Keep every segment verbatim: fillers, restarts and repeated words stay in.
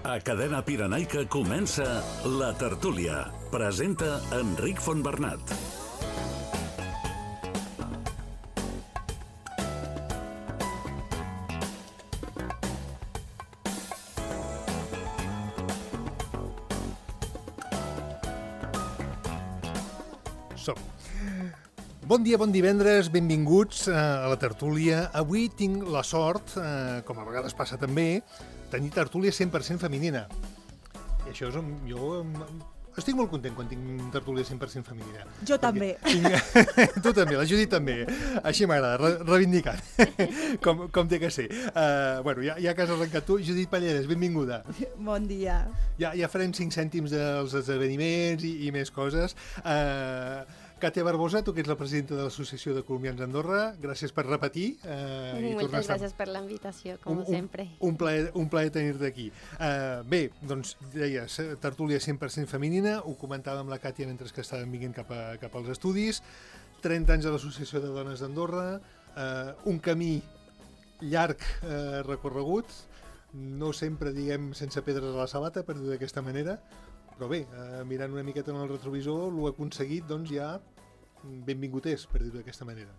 A Cadena Pirenaica comença La Tertúlia. Presenta Enric Fontbernat. Som. Bon dia, bon divendres, benvinguts a la tertúlia. Avui tinc la sort, eh, com a vegades passa també, tenir tertúlia cent per cent femenina. I això és... un- jo em- estic molt content quan tinc tertúlia cent per cent femenina. Jo també. Tinc... tu també, la Judit també. Així m'agrada, re reivindicant, com, com té que ser. Uh, bueno, ja, ja que has arrencat tu, Judit Palleres, benvinguda. Bon dia. Ja, ja farem cinc cèntims dels esdeveniments i, i més coses. Uh, Càtia Barbosa, tu que ets la presidenta de l'Associació de Colombians d'Andorra, gràcies per repetir. Uh, i tornar a Moltes estar- gràcies per la invitació, com un, sempre. Un, un plaer, un plaer tenir-te aquí. Uh, bé, doncs, deies, tertúlia cent per cent femenina, ho comentava amb la Càtia mentre que estàvem vinguent cap, a, cap als estudis, trenta anys a l'Associació de Dones d'Andorra, uh, un camí llarg uh, recorregut, no sempre, diguem, sense pedres a la sabata, per dir d'aquesta manera, però bé, uh, mirant una miqueta en el retrovisor, l'ho aconseguit, doncs ja benvingut és, per dir-ho d'aquesta manera.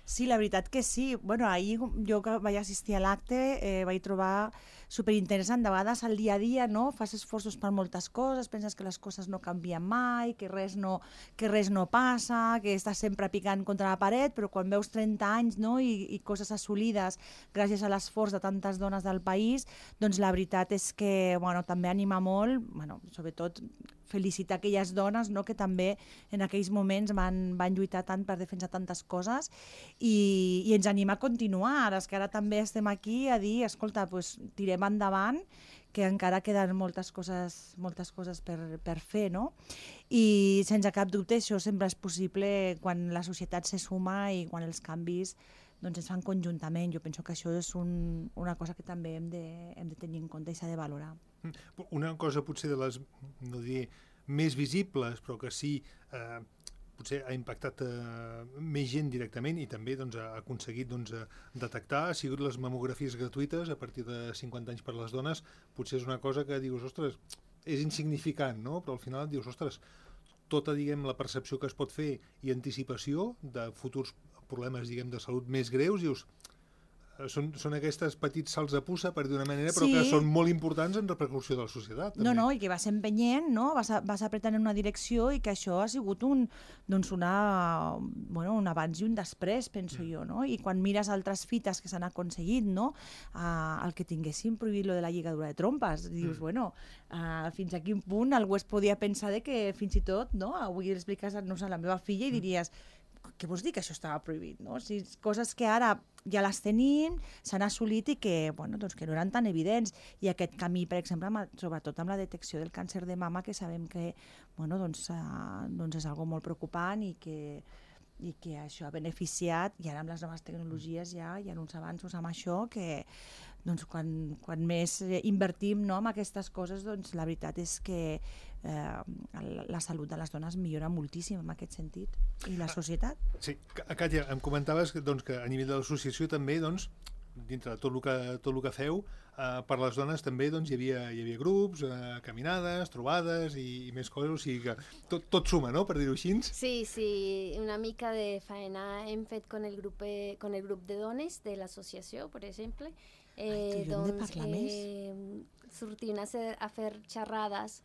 Sí, la veritat que sí. Bueno, ahir jo que vaig assistir a l'acte eh, vaig trobar superinteressant. De vegades al dia a dia, no? Fas esforços per moltes coses, penses que les coses no canvien mai, que res no, que res no passa, que estàs sempre picant contra la paret, però quan veus trenta anys, no? I, i coses assolides gràcies a l'esforç de tantes dones del país, doncs la veritat és que bueno, també anima molt, bueno, sobretot felicitar aquelles dones, no? Que també en aquells moments van, van lluitar tant per defensar tantes coses i, i ens anima a continuar. Ara és que ara també estem aquí a dir, escolta, pues, tirem endavant, que encara queden moltes coses, moltes coses per, per fer, no? I sense cap dubte això sempre és possible quan la societat se suma i quan els canvis doncs, es fan conjuntament. Jo penso que això és un, una cosa que també hem de, hem de tenir en compte i s'ha de valorar. Una cosa potser de les, no diré, més visibles, però que sí, eh, potser ha impactat eh, més gent directament i també doncs, ha aconseguit doncs, eh, detectar, ha sigut les mamografies gratuïtes a partir de cinquanta anys per les dones. Potser és una cosa que dius, ostres, és insignificant, no? Però al final dius, ostres, tota, diguem, la percepció que es pot fer i anticipació de futurs problemes, diguem, de salut més greus, dius, Són, són aquests petits salts de puça, per dir una manera, però Sí. que són molt importants en repercussió de la societat. També. No, no, i que vas empenyent, no? vas, a, vas apretant en una direcció i que això ha sigut un, doncs una, bueno, un abans i un després, penso mm. jo, no? I quan mires altres fites que s'han aconseguit, no? Uh, el que tinguessin prohibit lo de la lligadura de trompes, dius, mm. bueno, uh, fins a quin punt algú es podia pensar de que fins i tot, no? Avui expliques no sé, a la meva filla i diries, què vols dir que això estava prohibit, no? O sigui, coses que ara ja les tenim, s'han assolit i que, bueno, doncs que no eren tan evidents. I aquest camí, per exemple, amb, sobretot amb la detecció del càncer de mama, que sabem que bueno, doncs, uh, doncs és algo molt preocupant i que, i que això ha beneficiat, i ara amb les noves tecnologies ja hi ha uns avanços amb això que doncs, quan, quan més invertim no, en aquestes coses, doncs, la veritat és que eh, la salut de les dones millora moltíssim en aquest sentit. I la societat? Sí, Càtia, em comentaves que, doncs, que a nivell de l'associació també, doncs, dintre de tot el que, tot el que feu, eh, per les dones també doncs, hi, havia, hi havia grups, eh, caminades, trobades i, i més coses, o sigui que tot, tot suma, no?, per dir-ho així. Sí, sí, una mica de faena hem fet con el grup, con el grup de dones de l'associació, per exemple. Eh, Ai, tu, doncs, de eh, sortint a, ser, a fer xerrades,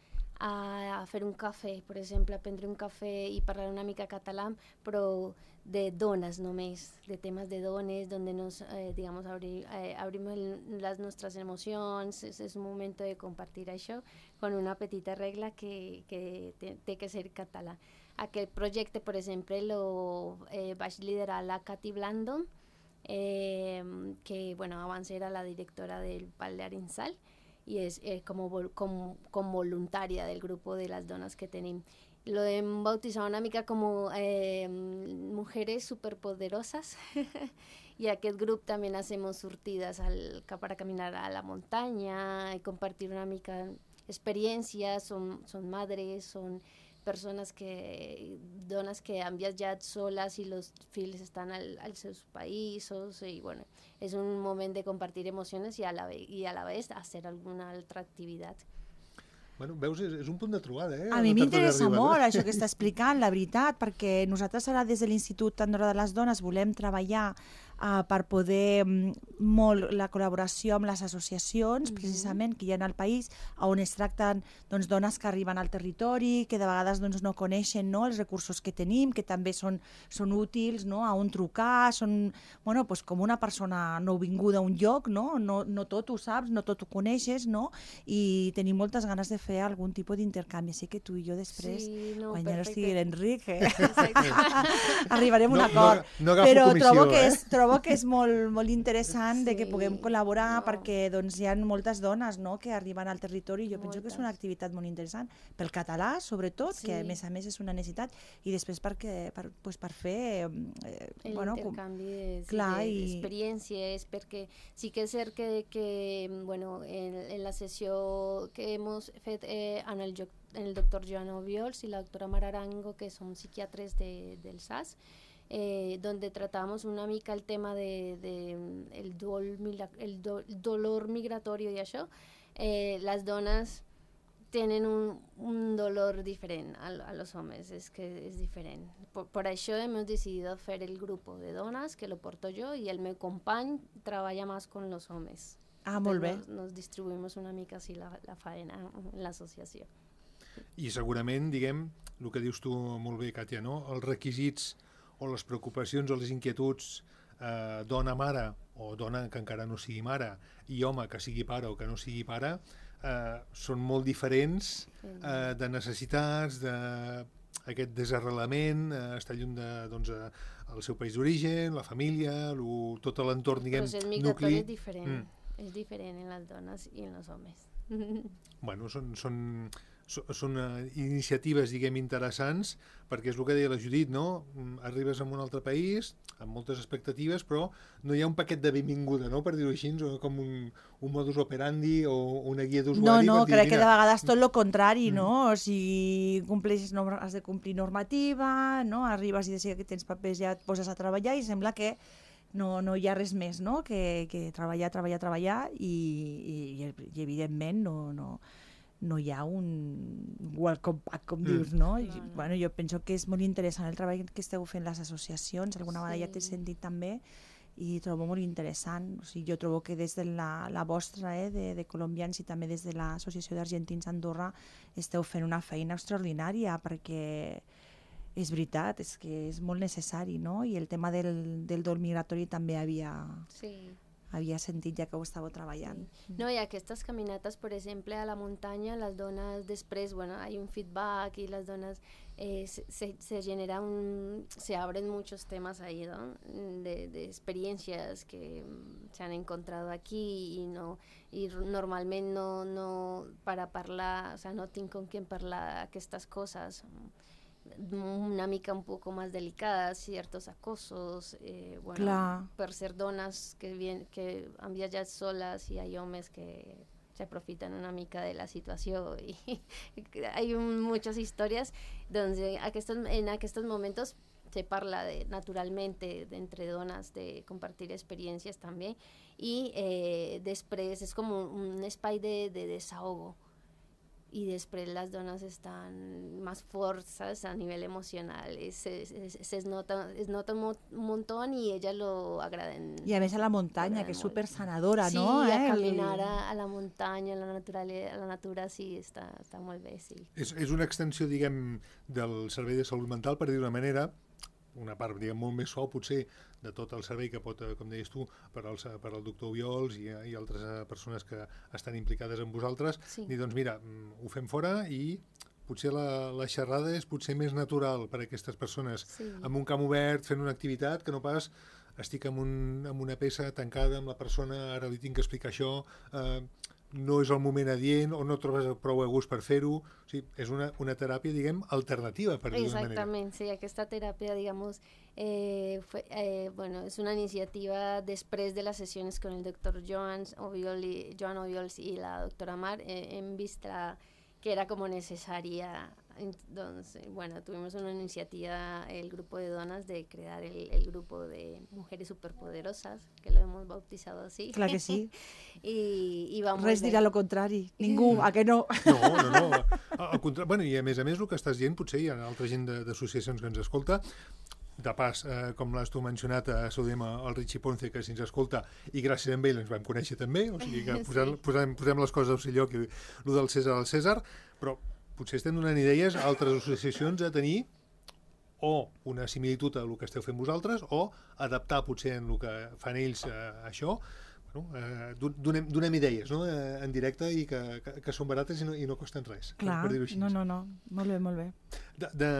a, a fer un cafè, per exemple, a prendre un cafè i parlar una mica català, però de dones només, de temes de dones, donde nos, eh, digamos, abri, eh, abrimos el, las nuestras emocions, és, és un moment de compartir això, con una petita regla que, que té que ser català. Aquest projecte, per exemple, lo eh, vaig liderar la Cati Blando, Eh, que bueno, abans era la directora del Pal de Arinsal y es eh, como, vol com, com voluntaria del grupo de las donas que tenim. Lo hem bautizado una mica como eh, mujeres superpoderosas y aquest grup también hacemos sortidas al, para caminar a la montaña y compartir una mica experiencias, son, son madres, son persones que, dones que han viatjat soles i els fills estan al, als seus països, i bueno, és un moment de compartir emocions i a la, i a la vegada hacer alguna altra activitat. Bueno, veus, és, és un punt de trobada, eh? A mi m'interessa molt això que està explicant, la veritat, perquè nosaltres ara des de l'Institut Andorra de les Dones volem treballar uh, per poder um, molt la col·laboració amb les associacions, mm-hmm. precisament, que hi ha al país, on es tracten doncs, dones que arriben al territori, que de vegades doncs, no coneixen, no, els recursos que tenim, que també són, són útils, no, a on trucar, són bueno, pues, com una persona nouvinguda a un lloc, no? No, no tot ho saps, no tot ho coneixes, no? I tenim moltes ganes de fer algun tipus d'intercanvi. Així que tu i jo després, sí, no, quan perfecte. ja no estigui l'Enric, eh? arribarem a un no, acord. No, no Però comissió, trobo que eh? és, trobo que és molt, molt interessant sí, de que puguem col·laborar no. perquè doncs, hi ha moltes dones no, que arriben al territori i jo moltes. penso que és una activitat molt interessant pel català, sobretot, sí. que a més a més és una necessitat, i després perquè, per, pues, per fer eh, el bueno, intercanvi de, sí, clar, de, i... d'experiències, perquè sí que és cert que, que bueno, en, en la sessió que hem fet eh, en el, en el doctor Joan Obiols y la doctora Mara Arango, que son psiquiatres de, del S A S, eh, donde tratamos una mica el tema de, de el, dol, el, do, el dolor migratorio y això, eh, las donas tienen un, un dolor diferent a, a los hombres, es que es diferente. Por, por això hemos decidido hacer el grupo de donas, que lo porto yo, y el meu company treballa más con los hombres. Ah, molt bé. Nos, nos distribuïmos una mica així la, la faena en l'associació. I segurament, diguem, el que dius tu molt bé, Kàtia, no? Els requisits o les preocupacions o les inquietuds eh, dona-mare o dona que encara no sigui mare i home que sigui pare o que no sigui pare eh, són molt diferents eh, de necessitats, d'aquest desarrelament, eh, estar lluny de, doncs, eh, el seu país d'origen, la família, lo, tot l'entorn, diguem, nucli. Però és migratori, és diferent. Mm. És diferent en les dones i en els homes. Bueno, són, són, són uh, iniciatives, diguem, interessants, perquè és el que deia la Judit, no? Arribes a un altre país, amb moltes expectatives, però no hi ha un paquet de benvinguda, no?, per dir-ho així, com un, un modus operandi o una guia d'usuari. No, no, dir, crec mira, que de vegades tot el contrari, mm. no? O sigui, compleixes, no, has de complir normativa, no? Arribes i de seguida que tens papers ja et poses a treballar i sembla que no, no hi ha res més, no?, que, que treballar, treballar, treballar i, i, i evidentment no, no, no hi ha un welcome back, com mm. dius, no? No, no. Bueno, jo penso que és molt interessant el treball que esteu fent les associacions, alguna vegada sí. ja t'he sentit també, i trobo molt interessant. O sigui, jo trobo que des de la, la vostra, eh, de, de colombians, i també des de l'Associació d'Argentins Andorra, esteu fent una feina extraordinària, perquè és veritat, és que és molt necessari, no? I el tema del, del dol migratori també havia, sí. havia sentit ja que ho estàveu treballant. Sí. No, i aquestes caminates, per exemple, a la muntanya, les dones després, bueno, hay un feedback y las donas eh, se, se genera un, se abren muchos temas ahí, ¿no? De, de experiencias que se han encontrado aquí y no, i normalment no, no para parlar, o sea, no tinc con quién parlar aquestes coses, una mica un poco más delicadas, ciertos acosos, eh, bueno, Clar. per ser dones que, bien, que han viatjat soles i hay homes que se aprofitan una mica de la situació i hay un, muchas historias donde aquestos, en aquestos momentos se parla de, naturalmente de, entre dones de compartir experiencias també i eh, després és com un, un espai de, de desahogo i després les dones estan més forts, ¿sabes? A nivell emocional, se, se, se nota, es nota un montón y ellas lo agraden. I a més a la muntanya, que és super sanadora, sí, no? Sí, eh? a caminar a, a la muntanya, a la naturalesa, a la natura, sí, està, està molt bé, sí. És, és una extensió, diguem, del servei de salut mental, per dir d'una manera, una part, diguem, molt més suau, potser, de tot el servei que pot, com deies tu, per al, per al doctor Obiols i, i altres persones que estan implicades amb vosaltres, sí. Dir, doncs mira, ho fem fora i potser la, la xerrada és potser més natural per a aquestes persones, sí. Amb un camp obert, fent una activitat, que no pas estic amb, un, amb una peça tancada amb la persona, ara li tinc que explicar això, eh, no és el moment adient o no trobes prou a gust per fer-ho. O sigui, és una, una teràpia, diguem, alternativa, per dir d'una manera. Exactament, sí, aquesta teràpia, digamos, eh, fue, eh, bueno, es una iniciativa després de las sesiones con el doctor Joan Obiols, Joan Obiols y la doctora Mar, eh, hem vist la, que era como necesaria entonces, bueno, tuvimos una iniciativa, el grupo de donas, de crear el, el grupo de mujeres superpoderosas, que lo hemos bautizado así. Clar que sí. I, i va molt Res bé. dirà lo contrari. Ningú, a que no? No, no, no. Al contrari, bueno, i a més a més el que estàs dient, potser hi ha altra gent de- d'associacions que ens escolta. De pas, eh, com l'has tu mencionat, eh, saludem el Richie Ponce, que si ens escolta, i gràcies a ell ens vam conèixer també, o sigui que posem, posem, posem les coses al seu lloc, i el del César al César, però potser estem donant idees a altres associacions a tenir o una similitud a el que esteu fent vosaltres, o adaptar potser en el que fan ells eh, això. Bueno, eh, donem, donem idees, no?, eh, en directe, i que, que, que són barates i no, i no costen res, Clar, per dir-ho així. no, no, no. Molt bé, molt bé. De, de,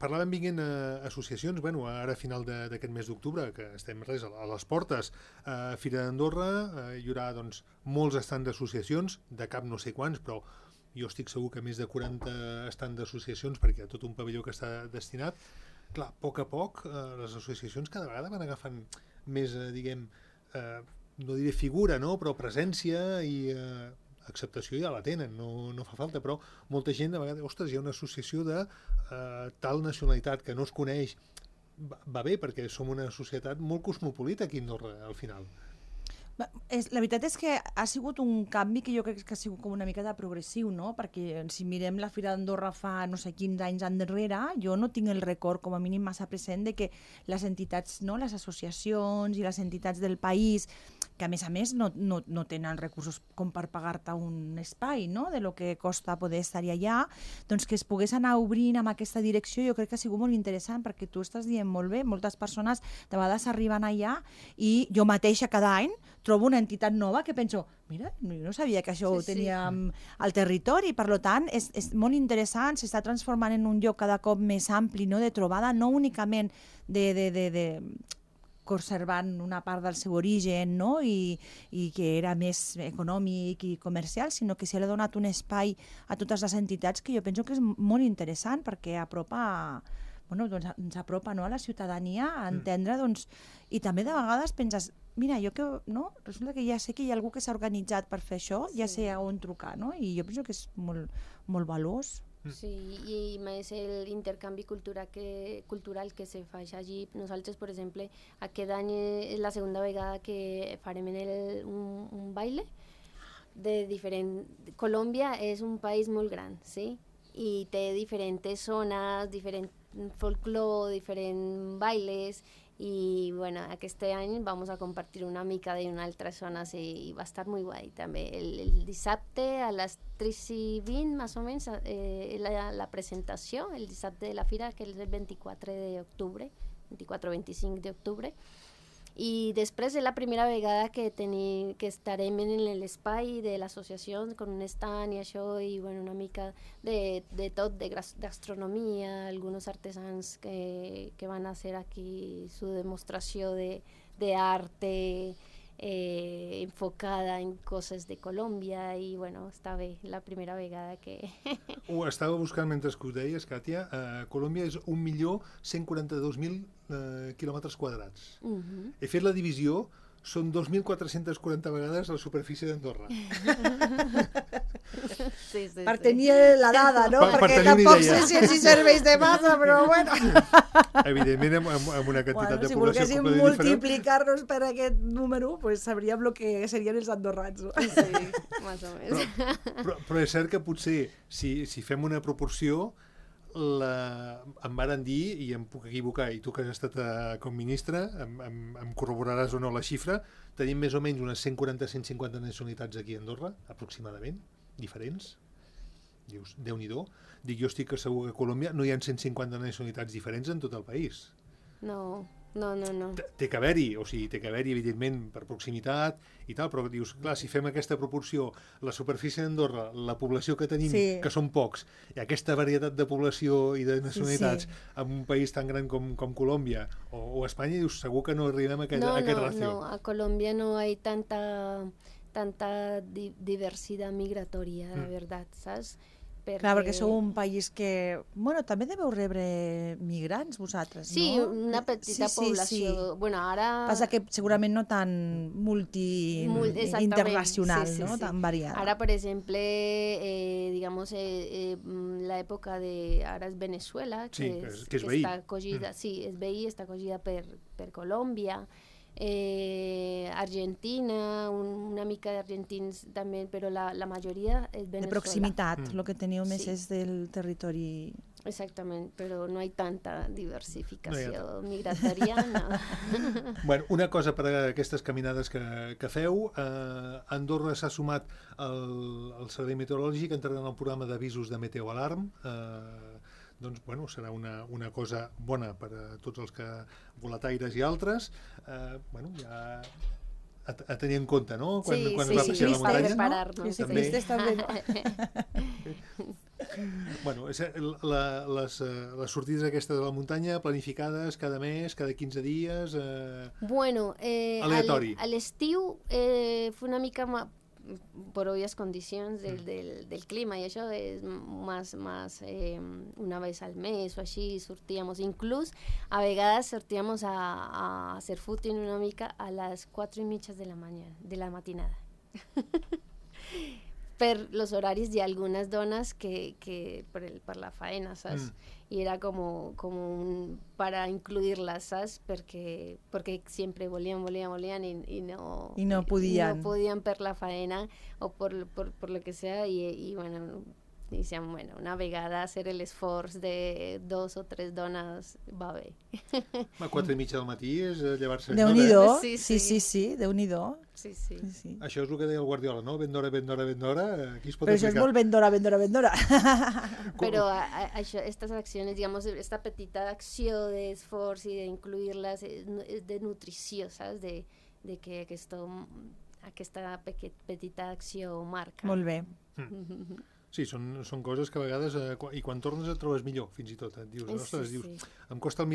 parlàvem vinguent a associacions, bueno, ara a final de- d'aquest mes d'octubre, que estem res a, a les portes, a Fira d'Andorra, eh, hi haurà doncs, molts estants d'associacions, de cap no sé quants, però jo estic segur que més de quaranta estants d'associacions, perquè hi ha tot un pavelló que està destinat. Clar, a poc a poc, eh, les associacions cada vegada van agafant més, eh, diguem, eh, no diré figura, no?, però presència i eh, acceptació ja la tenen, no, no fa falta, però molta gent a vegades, ostres, hi ha una associació de eh, tal nacionalitat que no es coneix. Va, va bé, perquè som una societat molt cosmopolita aquí a Andorra, al final. Va, És, la veritat és que ha sigut un canvi que jo crec que ha sigut com una mica de progressiu, no? Perquè si mirem la Fira d'Andorra fa no sé quins anys endarrere, jo no tinc el record com a mínim massa present de que les entitats, no? Les associacions i les entitats del país, que a més a més no, no, no tenen recursos com per pagar-te un espai, no?, de lo que costa poder estar allà, doncs que es pogués anar obrint amb aquesta direcció jo crec que ha sigut molt interessant, perquè tu estàs dient molt bé, moltes persones de vegades arriben allà i jo mateixa cada any trobo una entitat nova que penso, mira, no, jo no sabia que això Sí, ho sí. teníem al territori, per tant és, és molt interessant, s'està transformant en un lloc cada cop més ampli, no?, de trobada, no únicament de, de, de, de conservant una part del seu origen, no?, I, i que era més econòmic i comercial, sinó que s'hi ha donat un espai a totes les entitats que jo penso que és molt interessant, perquè apropa, bueno, doncs ens apropa, no?, a la ciutadania a entendre, doncs, i també de vegades penses, mira, jo que, no?, resulta que ja sé que hi ha algú que s'ha organitzat per fer això, ja sé a on trucar, no?, i jo penso que és molt, molt valós. Sí, i més l'intercanvi cultural que, cultural que se fa allí. Nosaltres, per exemple, aquest any és la segona vegada que farem en el, un, un baile de diferent... Colòmbia és un país molt gran, sí? I té diferents zones, diferent folclore, diferents bailes, i bueno, aquest any vamos a compartir una mica d'una altra zona, sí, i va estar molt guai també. El, el dissabte a les tres i vint, més o menys, eh, la, la presentació, el dissabte de la fira, que és el vint-i-quatre d'octubre, vint-i-quatre o vint-i-cinc d'octubre, i després és la primera vegada que, teni, que estarem en l'espai de l'associació con un stand i això, i bueno, una mica de, de tot, de gastronomia, alguns artesans que, que van a hacer aquí su demostració de, de arte eh, enfocada en coses de Colòmbia, i bueno, està bé, la primera vegada que... Ho estava buscant mentre que ho deies, Katia. Uh, Colòmbia és un milió cent quaranta-dos mil uh, quilòmetres quadrats. Uh -huh. He fet la divisió, són dos mil quatre-cents quaranta vegades la superfície d'Andorra. Sí, sí, Per sí. tenir la dada, no? Per- per Perquè tenir una tampoc idea. sé si els hi serveix de massa, però bueno. Evidentment, amb, amb, amb una quantitat Bueno, de si població volguéssim completament diferent. multiplicar-nos per aquest número, pues sabríem el que serien els andorrans. No? Sí, més o menys. Però, però és cert que potser, si, si fem una proporció, la, em varen dir, i em puc equivocar, i tu que has estat uh, com ministre, em, em, em corroboraràs o no la xifra, tenim més o menys unes cent quaranta a cent cinquanta nacionalitats aquí a Andorra, aproximadament, diferents. Dius, Déu-n'hi-do. Dic, jo estic segur que a Colòmbia no hi ha cent cinquanta nacionalitats diferents en tot el país. No, no, no, no. Té- Té que haver-hi, o sigui, té que haver-hi, evidentment, per proximitat i tal, però dius, clar, si fem aquesta proporció, la superfície d'Andorra, la població que tenim, Sí. que són pocs, i aquesta varietat de població i de nacionalitats Sí, en un país tan gran com, com Colòmbia o, o Espanya, dius, segur que no arribem a aquest, No, a aquest no, racio. no, a Colombia no hay tanta, tanta di- diversidad migratoria, la Mm. verdad, ¿sabes? Perquè... Clar, perquè sou un país que... Bueno, també deveu rebre migrants, vosaltres, sí, no? Sí, una petita sí, sí, població. Sí. Bueno, ara... Passa que segurament no tan multi... Mul internacional, sí, sí, no? Sí. Tan variada. Ara, per exemple, eh, digamos, eh, eh, l'època de... Ara és Venezuela, que, sí, és, que és que veí. està acogida, mm. sí, és veí, està acogida per, per Colòmbia, eh, Argentina, un, una mica d'argentins també, però la, la majoria és Venezuela. De proximitat, el mm. que teniu més sí. és del territori... Exactament, però no hi ha tanta diversificació no migratòria. No. Bueno, una cosa per a aquestes caminades que, que feu, eh, Andorra s'ha sumat al, al Servei Meteorològic entrant al programa d'avisos de Meteoalarm. Eh, doncs, bueno, serà una, una cosa bona per a tots els que volataires i altres. Eh, bueno, ja a, a tenir en compte, no? Quan, sí, quan sí, es va sí, passar sí, la muntanya. preparar-nos. Sí, també. sí, també. Bueno, la, les, les sortides aquestes de la muntanya planificades cada mes, cada quinze dies... Eh, bueno, eh, aleatori. A l'estiu eh, fue una mica más, por obvias condicions del, mm. del, del clima, i això és més, més eh, una vez al mes o així sortíamos. Inclús a vegades sortíamos a, a hacer footing una mica a les quatre i mitja de la mañana, de la matinada. Per los horaris de algunas donas que, que por, el, per la faena, ¿sabes? Mm. Y era como, como un, para incluirlas, ¿sabes? Porque, porque siempre volían, volían, volían y, y no... Y no podían. Y no podían per la faena o por, por, por lo que sea y, y bueno... Dicen, bueno, una vegada hacer el esforç de dos o tres dones va bé. A quatre i mitja del matí és llevar-se... Déu-n'hi-do, no, sí, sí, sí, sí, Déu-n'hi-do. Sí, sí. Sí, sí. Això és el que deia el Guardiola, no? Ben d'hora, ben d'hora, ben d'hora, aquí es pot Però aplicar. això és molt ben d'hora, ben d'hora, ben d'hora. Però a, a, això, estas acciones, digamos, esta petita acció d'esforç i d'incluir-les és, és de nutrició, saps? De, de que aquesto, aquesta petita acció marca. Molt bé. Mm. Sí, són, són coses que a vegades, eh, i quan tornes et trobes millor, fins i tot. Et dius, sí, ostres, sí. dius, em costa a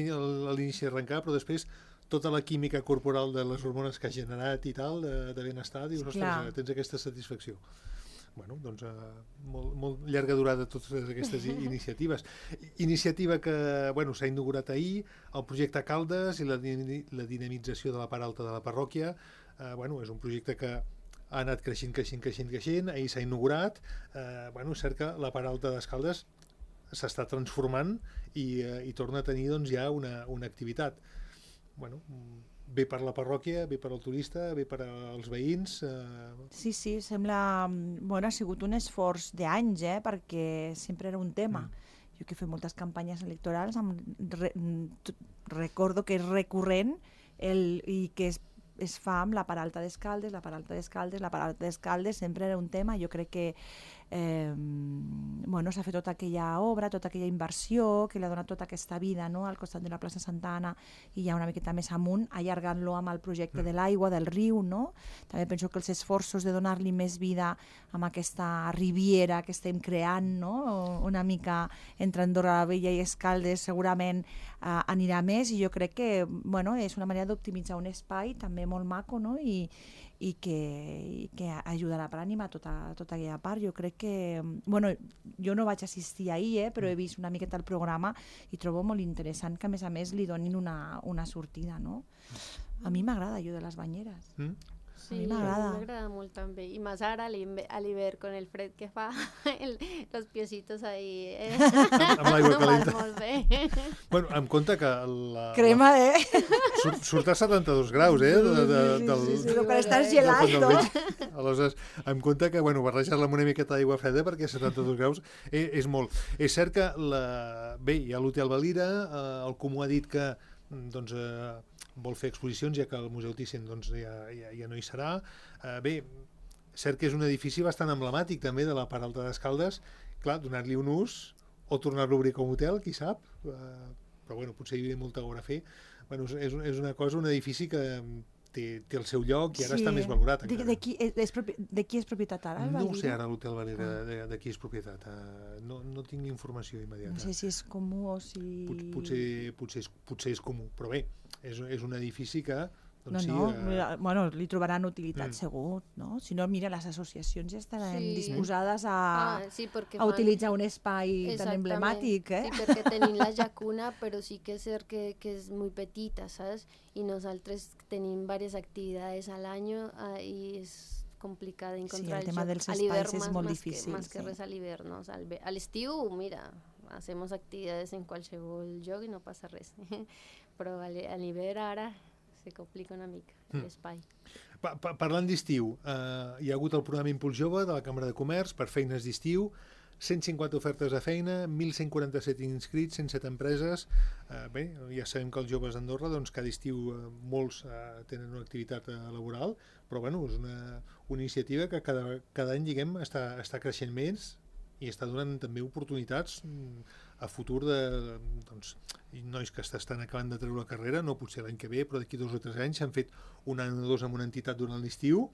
l'inici arrencar, però després tota la química corporal de les hormones que ha generat i tal, de, de benestar, dius, ostres, Clar. tens aquesta satisfacció. Bueno, doncs, eh, molt, molt llarga durada totes aquestes iniciatives. Iniciativa que, bueno, s'ha inaugurat ahir, el projecte Caldes i la, la dinamització de la part alta de la parròquia. Eh, bueno, és un projecte que ha anat creixent, creixent, creixent, creixent, ahir s'ha inaugurat, eh, bueno, és cert que la part alta d'Escaldes s'està transformant i, eh, i torna a tenir doncs, ja una, una activitat. Bueno, bé per la parròquia, bé per al turista, bé per als veïns. Eh... Sí, sí, sembla... Bueno, ha sigut un esforç d'anys, eh, perquè sempre era un tema. Mm. Jo que he fet moltes campanyes electorals, em re, recordo que és recurrent el, i que és es fa amb la part alta d'Escaldes, la part alta d'Escaldes, la part alta d'Escaldes, sempre era un tema. Jo crec que eh, bueno, s'ha fet tota aquella obra, tota aquella inversió, que li ha donat tota aquesta vida, no?, al costat de la plaça Santa Anna i ja una miqueta més amunt, allargant-lo amb el projecte de l'aigua, del riu, no? També penso que els esforços de donar-li més vida amb aquesta riviera que estem creant, no?, una mica entre Andorra la Vella i Escaldes segurament eh, anirà més, i jo crec que, bueno, és una manera d'optimitzar un espai també molt maco, no?, i, i que, i que ajudarà per animar tota, tota aquella part. Jo crec que, bueno, jo no vaig assistir ahir, eh, però he vist una miqueta el programa i trobo molt interessant que a més a més li donin una, una sortida, no? A mi m'agrada allò de les banyeres. Mm? Sí, a mi m'agrada. m'agrada molt també. I més ara a l'hivern, con el fred que fa, el, los piecitos ahí... Eh? Amb, amb l'aigua calenta. Molt bé. Bueno, em compte que... La, Crema, la, eh? Surt, surt a setanta-dos graus, eh? De, de, sí, del, sí, sí, sí, per estar gelat, no? Aleshores, em compte que, bueno, barrejar-la amb una miqueta d'aigua freda perquè setanta-dos graus és, és molt. És cert que, la, bé, hi ha l'Hotel Valira, eh, el Comú ha dit que, doncs... Eh, vol fer exposicions, ja que el Museu Thyssen doncs, ja, ja, ja no hi serà. Eh, bé, cert que és un edifici bastant emblemàtic també de la part alta d'Escaldes. Clar, donar-li un ús o tornar-lo a obrir com a hotel, qui sap. Eh, però bueno, potser hi havia molta obra a fer. Bueno, és, és una cosa, un edifici que té, té el seu lloc i ara sí, està més valorat. De, de, qui és, és propi, de qui és propietat ara? No ho sé ara l'Hotel Valira, ah. de, de qui és propietat. Uh, no, no tinc informació immediata. No sé si és comú o si... Pot, potser, potser, és, potser és comú, però bé, és, és un edifici que doncs no, sí, no, eh, bueno, li trobaran utilitat Mm. segur, no? Si no, mira, les associacions ja estaran Sí. disposades a, Ah, sí, perquè a fan- utilitzar un espai tan Exactament. emblemàtic, eh? Sí, perquè tenim la llacuna, però sí que és cert que, que és molt petita, saps? I nosaltres tenim diverses activitats al año uh, i és complicat encontrar Sí, el tema joc. dels A espais l'hivern és más- molt más que- difícil, Más que sí. res a l'hivern, no? O sea, al ve- a l'estiu, mira, hacemos actividades en qualsevol lloc i no passa res. Però a l'hi- a l'hivern ara se complica una mica Mm. l'espai. Pa pa Parlant d'estiu, eh, hi ha hagut el programa Impuls Jove de la Càmera de Comerç per feines d'estiu, cent cinquanta ofertes de feina, mil cent quaranta-set inscrits, cent set empreses. Eh, bé, ja sabem que els joves d'Andorra, doncs, cada estiu eh, molts eh, tenen una activitat eh, laboral, però bueno, és una, una iniciativa que cada, cada any, diguem, està, està creixent més i està donant també oportunitats mm, a futur de doncs, nois que estan acabant de treure la carrera, no potser l'any que ve, però d'aquí dos o tres anys s'han fet un any o dos amb una entitat durant l'estiu,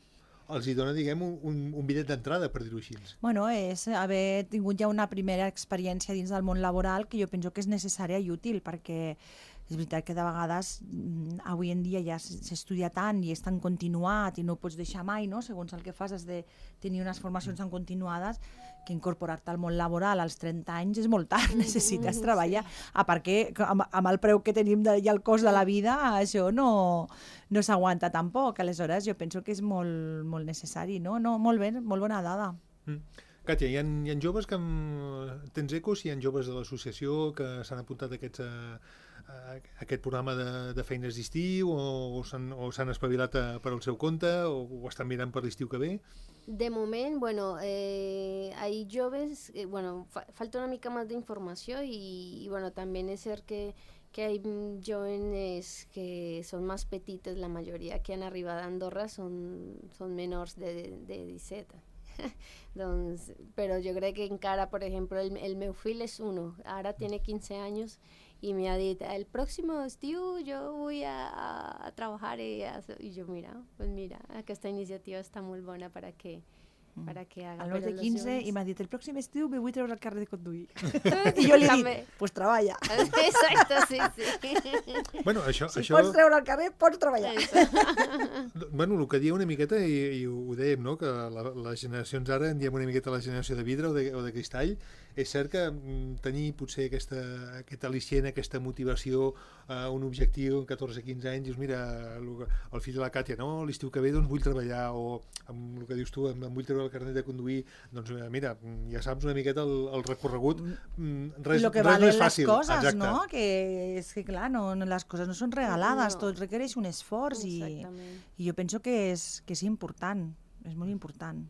els hi dona, diguem, un, un bitllet d'entrada, per dir-ho així. Bueno, és haver tingut ja una primera experiència dins del món laboral que jo penso que és necessària i útil, perquè és veritat que de vegades mm, avui en dia ja s- s'estudia tant i és tan continuat i no ho pots deixar mai, no? Segons el que fas has de tenir unes formacions tan continuades que incorporar-te al món laboral als trenta anys és molt tard, necessites treballar. A part que amb, amb el preu que tenim de, i el cost de la vida, això no, no s'aguanta tampoc. Aleshores jo penso que és molt, molt necessari, no? No, molt bé, molt bona dada. Mm. Càtia, hi ha, hi ha joves que... Amb... Tens ecos? Hi ha joves de l'associació que s'han apuntat a aquests... A... a aquest programa de, de feines d'estiu o, o s'han o s'han espavilat a, per al seu compte o, o estan mirant per l'estiu que ve? De moment, bueno, eh, hay joves, eh, bueno, fa falta una mica más de información y, y bueno, también es ser que, que hay jóvenes que son más petites, la mayoría que han arribado a Andorra son, son menores de, de disset. Doncs, però jo crec que encara, por ejemplo, el, el meu fill és uno, ara tiene quince años y me ha dit, el próximo estiu yo voy a, a, a trabajar y, a, y yo, mira, pues mira, aquesta iniciativa està molt bona para que, para que haga. El meu Però de los quinze jóvenes- i m'ha dit, el pròxim estiu me vull treure el carnet de conduir. I jo li he També. dit, pues treballa. Exacto, sí, sí. Bueno, això... Si això... pots treure el carnet, pots treballar. Bueno, el que dia una miqueta, i, i ho dèiem, no? Que la, les generacions ara en diem una miqueta la generació de vidre o de, o de cristall, és cert que mm, tenir potser aquesta, aquest al·licient, aquesta motivació, uh, un objectiu en catorze a quinze anys, dius, mira, el, el fill de la Càtia, no? L'estiu que ve doncs vull treballar, o amb el que dius tu, em, em vull treure el carnet de conduir, doncs mira, ja saps una miqueta el, el recorregut, mm, res, I el que res no valen és les fàcil. coses, Exacte. no? Que és que, clar, no, no, les coses no són regalades, No. tot requereix un esforç i, Exactament. i jo penso que és, que és important, és molt important.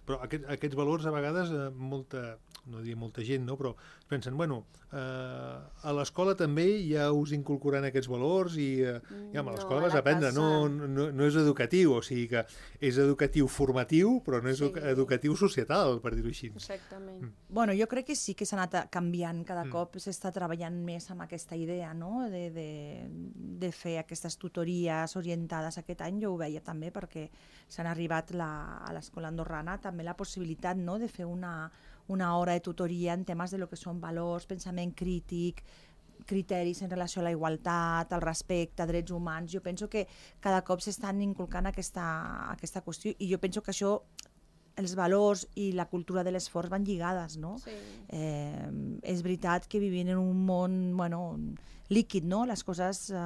Però aquest, aquests valors a vegades eh, molta, no diria molta gent, no? Però pensen, bueno, eh, a l'escola també ja us inculcaran aquests valors i, eh, i home, a No, l'escola a vas la a aprendre, casa. no, no, no és educatiu, o sigui que és educatiu formatiu, però no és Sí. educatiu societal, per dir-ho així. Exactament. Bueno, jo crec que sí que s'ha anat canviant, cada Mm. cop s'està treballant més amb aquesta idea, no? de, de, de fer aquestes tutories orientades. Aquest any jo ho veia també perquè s'han arribat la, a l'escola andorrana també la possibilitat, no? De fer una, una hora de tutoria en temes de lo que són valors, pensament crític, criteris en relació a la igualtat, al respecte, drets humans. Jo penso que cada cop s'estan inculcant aquesta, aquesta qüestió i jo penso que això, els valors i la cultura de l'esforç van lligades, no? Sí. Eh, és veritat que vivim en un món, bueno, líquid, no? Les coses, eh,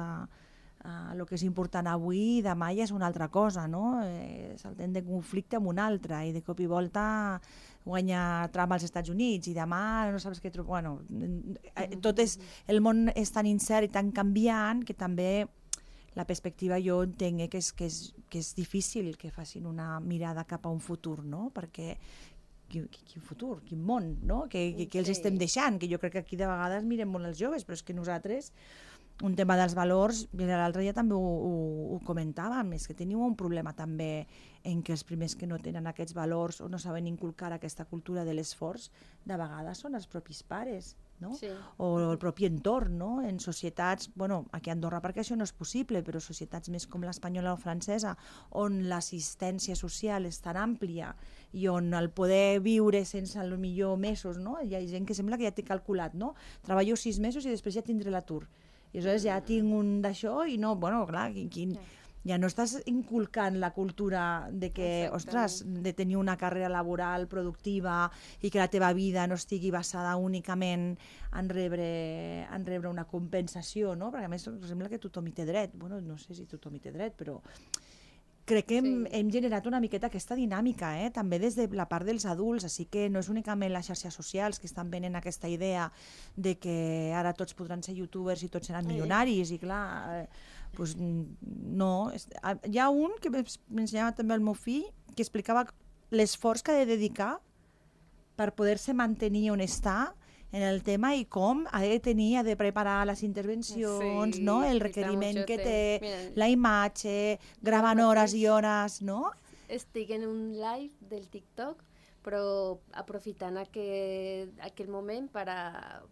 eh, el que és important avui, demà ja és una altra cosa, no? Eh, saltem de conflicte amb un altre i de cop i volta guanya Trump als Estats Units i demà no saps què trobar. Bueno, eh, tot és, el món és tan incert i tan canviant que també la perspectiva jo entenc eh, que, és, que, és, que és difícil que facin una mirada cap a un futur, no? Perquè quin, quin futur, quin món, no? Que, que, que els Sí. estem deixant, que jo crec que aquí de vegades mirem molt els joves, però és que nosaltres, un tema dels valors, l'altre dia també ho, ho, ho comentàvem, és que teniu un problema també en que els primers que no tenen aquests valors o no saben inculcar aquesta cultura de l'esforç, de vegades són els propis pares, no? Sí. O el propi entorn, no? En societats, bueno, aquí a Andorra perquè això no és possible, però societats més com l'espanyola o francesa, on l'assistència social és tan àmplia i on el poder viure sense el millor mesos, no? Hi ha gent que sembla que ja té calculat, no? Treballo sis mesos i després ja tindré l'atur. I aleshores ja tinc un d'això i no, bueno, clar, quin, quin, ja no estàs inculcant la cultura de que, Exactament. ostres, de tenir una carrera laboral productiva i que la teva vida no estigui basada únicament en rebre, en rebre una compensació, no? Perquè a més sembla que tothom hi té dret. Bueno, no sé si tothom hi té dret, però crec que hem, Sí. hem generat una miqueta aquesta dinàmica, eh? També des de la part dels adults, així que no és únicament les xarxes socials que estan venent aquesta idea de que ara tots podran ser youtubers i tots seran milionaris, i clar, eh, pues, no. Hi ha un que m'ensenyava també el meu fill, que explicava l'esforç que ha de dedicar per poder-se mantenir on està en el tema i com ha de tenir, ha de preparar les intervencions, Sí, no? El quita requeriment mucho que temps. té, Mira, la imatge, gravant mateix. hores i hores, no? Estic en un live del TikTok, però aprofitant aquel, aquel moment para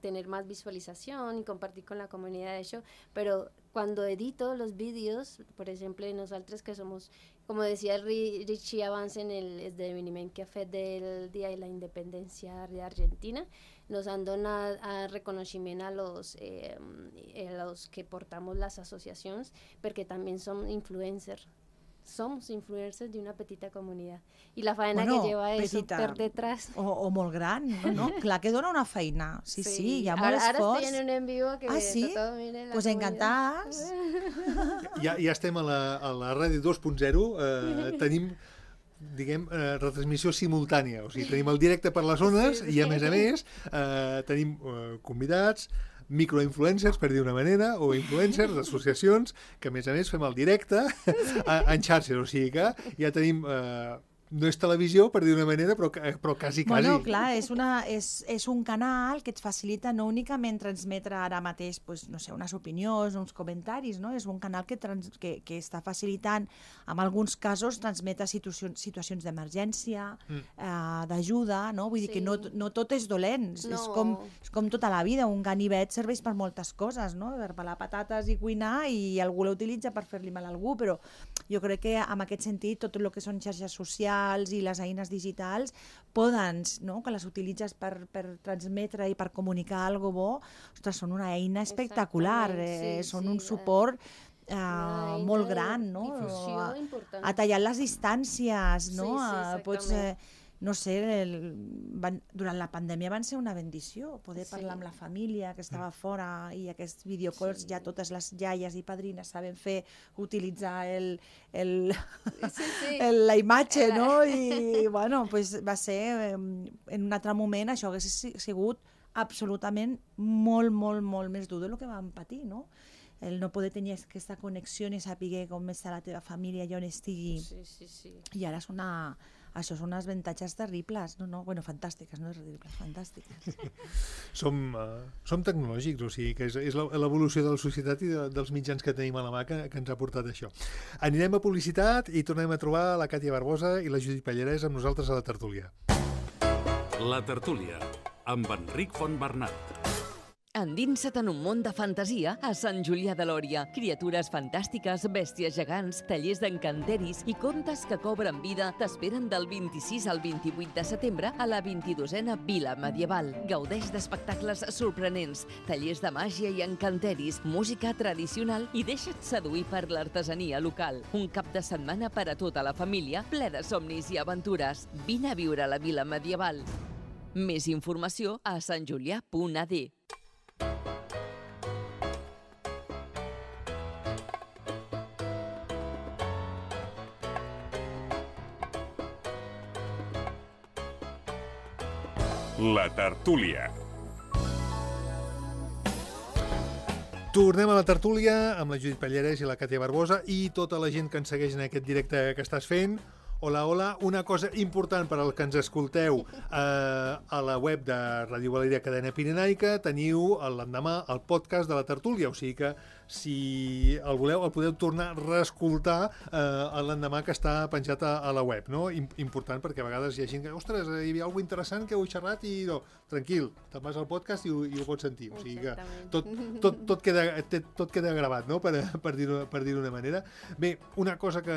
tener más visualización y compartir con la comunidad de eso, pero cuando edito los vídeos, por ejemplo, nosotros que somos, como decía el Ri- Richie Avance en el esdeveniment que ha fet del Día de la Independencia de Argentina, nos han donat a reconeixement a los, eh, a los que portamos las asociacions, perquè també som influencers. Somos influencers de una petita comunidad. Y la faena Bueno, que lleva eso petita. per detrás. O, o molt gran, no? no? Clar que dona una feina. Sí, sí, sí, hi ha molt Ara, ara esforç. estoy en un en vivo que Ah, sí? tothom mire la Pues comunitat. encantades. Ja, ja estem a la, a la ràdio dos punt zero, eh, tenim diguem, eh, retransmissió simultània, o sigui, tenim el directe per les ones Sí, sí. i a més a més eh, tenim eh, convidats, microinfluencers, per dir una manera, o influencers d'associacions, que a més a més fem el directe a, en xarxes, o sigui que ja tenim... Eh, no és televisió, per dir una manera, però, però quasi, quasi. Bueno, clar, és, una, és, és un canal que et facilita no únicament transmetre ara mateix, pues, no sé, unes opinions, uns comentaris, no? És un canal que, trans, que, que està facilitant, en alguns casos, transmetre situacions, situacions d'emergència, mm. eh, d'ajuda, no? Vull dir Sí. que no, no tot és dolent, No. és, com, és com tota la vida, un ganivet serveix per moltes coses, no? Per pelar patates i cuinar, i algú l'utilitza per fer-li mal a algú, però jo crec que en aquest sentit tot el que són xarxes socials i les eines digitals poden, no? Que les utilitzes per, per transmetre i per comunicar alguna bo, ostres, són una eina espectacular, Exactament, eh, sí, són sí, un eh, suport eh, una eina molt de gran, no? difusió A- important. A tallar les distàncies, no? Sí, sí, Eh, Pots, eh, no sé, el, van, durant la pandèmia van ser una bendició, poder Sí. parlar amb la família que estava fora, i aquests videocalls Sí. ja totes les iaies i padrines saben fer, utilitzar el, el, Sí, sí. el, la imatge, La- no? I bueno, pues va ser, eh, en un altre moment això hagués si- sigut absolutament molt, molt, molt més dur del que vam patir, no? El no poder tenir aquesta connexió i saber com està la teva família i on estigui. Sí, sí, sí. I ara és una... Això són unes avantatges terribles, no, no, bueno, fantàstiques, no és terribles, fantàstiques. Som, uh, som tecnològics, o sigui que és, és la- l'evolució de la societat i de, dels mitjans que tenim a la mà que, que ens ha portat això. Anirem a publicitat i tornem a trobar la Càtia Barbosa i la Judit Pallarès amb nosaltres a la tertúlia. La tertúlia, amb Enric Fontbernat. Endinsa't en un món de fantasia a Sant Julià de Lòria. Criatures fantàstiques, bèsties gegants, tallers d'encanteris i contes que cobren vida t'esperen del vint-i-sis al vint-i-vuit de setembre a la vint-i-dosena Vila Medieval. Gaudeix d'espectacles sorprenents, tallers de màgia i encanteris, música tradicional i deixa't seduir per l'artesania local. Un cap de setmana per a tota la família, ple de somnis i aventures. Vine a viure a la Vila Medieval. Més informació a santjulià punt a d. La tertúlia. Tornem a la tertúlia amb la Judit Pallarès i la Càtia Barbosa i tota la gent que ens segueix en aquest directe que estàs fent. Hola, hola. Una cosa important per al que ens escolteu eh, a la web de Ràdio Valeria Cadena Pirenaica teniu l'endemà el podcast de la tertúlia, o sigui que si el voleu el podeu tornar a reescoltar eh, l'endemà que està penjat a, a la web, no? Important perquè a vegades hi ha gent que, ostres, hi havia alguna interessant que heu xerrat i no, tranquil, te'n vas al podcast i ho, i ho pots sentir, o sigui que tot, tot, tot, queda, tot queda gravat, no? Per, per dir-ho per dir d'una manera. Bé, una cosa que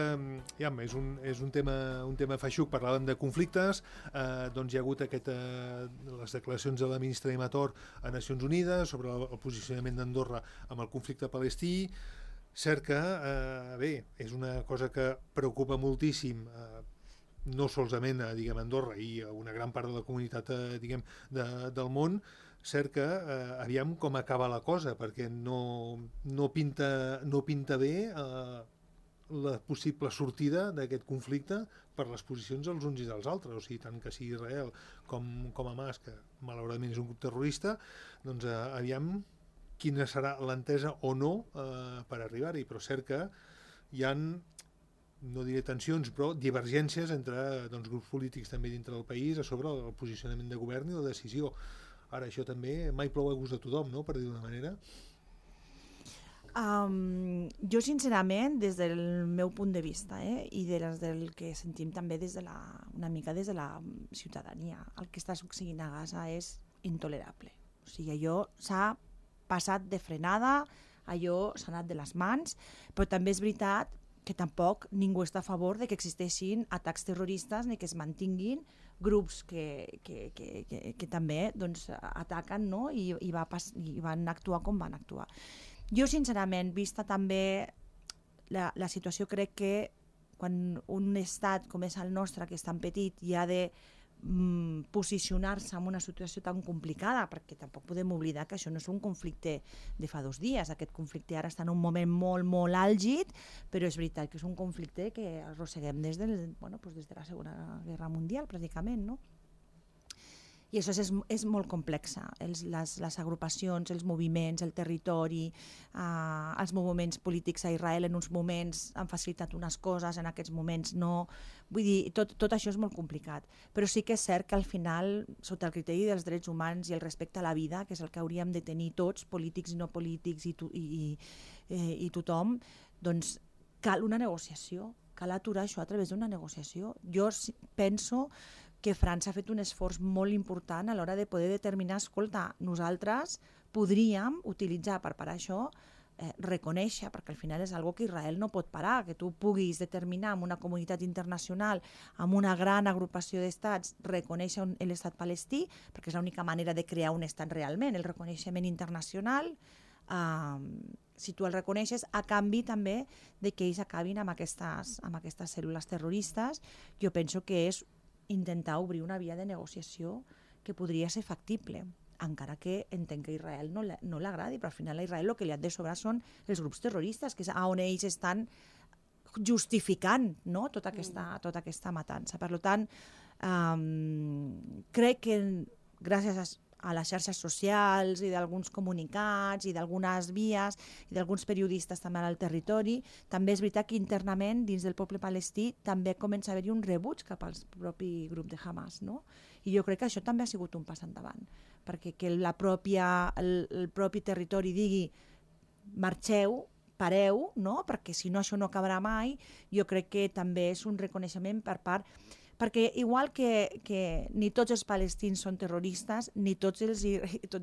ja, és, un, és un tema un tema feixuc, parlàvem de conflictes, eh, doncs hi ha hagut aquest, eh, les declaracions de la ministra Immator a Nacions Unides sobre el, el posicionament d'Andorra amb el conflicte palestí. Cert que, eh, bé, és una cosa que preocupa moltíssim, eh, no solament a, diguem, Andorra i a una gran part de la comunitat, eh, diguem, de, del món. Cert que eh, aviam com acaba la cosa, perquè no, no, pinta, no pinta bé eh, la possible sortida d'aquest conflicte per les posicions dels uns i dels altres, o sigui, tant que sigui Israel com, com Hamas, que malauradament és un grup terrorista, doncs eh, aviam quina serà l'entesa o no eh, per arribar-hi, però cert que hi ha, no diré tensions, però divergències entre doncs, grups polítics també dintre del país a sobre el posicionament de govern i la decisió. Ara, això també mai plou a gust de tothom, no?, per dir d'una manera. Um, jo, sincerament, des del meu punt de vista, eh, i de les del que sentim també des de la, una mica des de la ciutadania, el que està succeint a Gaza és intolerable. O sigui, allò s'ha passat de frenada, allò s'ha anat de les mans, però també és veritat que tampoc ningú està a favor de que existeixin atacs terroristes ni que es mantinguin grups que, que, que, que, que també doncs, ataquen, no? I, i, va pas, i van actuar com van actuar. Jo, sincerament, vista també la, la situació, crec que quan un estat com és el nostre, que és tan petit, i ha de mm, posicionar-se en una situació tan complicada, perquè tampoc podem oblidar que això no és un conflicte de fa dos dies, aquest conflicte ara està en un moment molt, molt àlgid, però és veritat que és un conflicte que arrosseguem des, del, bueno, doncs des de la Segona Guerra Mundial, pràcticament, no? I això és, és molt complex. Els, les, les agrupacions, els moviments, el territori, eh, els moviments polítics a Israel en uns moments han facilitat unes coses, en aquests moments no. Vull dir, tot, tot això és molt complicat. Però sí que és cert que al final, sota el criteri dels drets humans i el respecte a la vida, que és el que hauríem de tenir tots, polítics i no polítics i, to, i, i, eh, i tothom, doncs cal una negociació, cal aturar això a través d'una negociació. Jo penso que França ha fet un esforç molt important a l'hora de poder determinar, escolta, nosaltres podríem utilitzar per parar això, eh, reconèixer, perquè al final és algo que Israel no pot parar, que tu puguis determinar amb una comunitat internacional, amb una gran agrupació d'estats, reconèixer l'estat palestí, perquè és l'única manera de crear un estat realment, el reconeixement internacional, eh, si tu el reconeixes, a canvi també de que ells acabin amb aquestes, amb aquestes cèl·lules terroristes, jo penso que és intentar obrir una via de negociació que podria ser factible, encara que entenc que a Israel no, no l'agradi, però al final a Israel el que li ha de sobrar són els grups terroristes, que és on ells estan justificant, no? tota, aquesta, tota aquesta matança. Per tant, um, crec que gràcies a a les xarxes socials i d'alguns comunicats i d'algunes vies i d'alguns periodistes també al territori, també és veritat que internament dins del poble palestí també comença a haver-hi un rebuig cap al propi grup de Hamas, no? I jo crec que això també ha sigut un pas endavant, perquè que la pròpia, el, el propi territori digui marxeu, pareu, no? Perquè si no això no acabarà mai, jo crec que també és un reconeixement per part. Perquè igual que, que ni tots els palestins són terroristes, ni, tots els,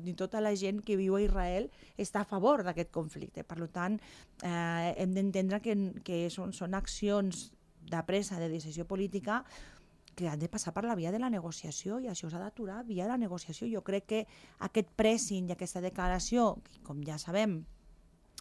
ni tota la gent que viu a Israel està a favor d'aquest conflicte. Per tant, eh, hem d'entendre que, que són, són accions de presa, de decisió política, que han de passar per la via de la negociació, i això s'ha d'aturar via de la negociació. Jo crec que aquest pressing i aquesta declaració, com ja sabem,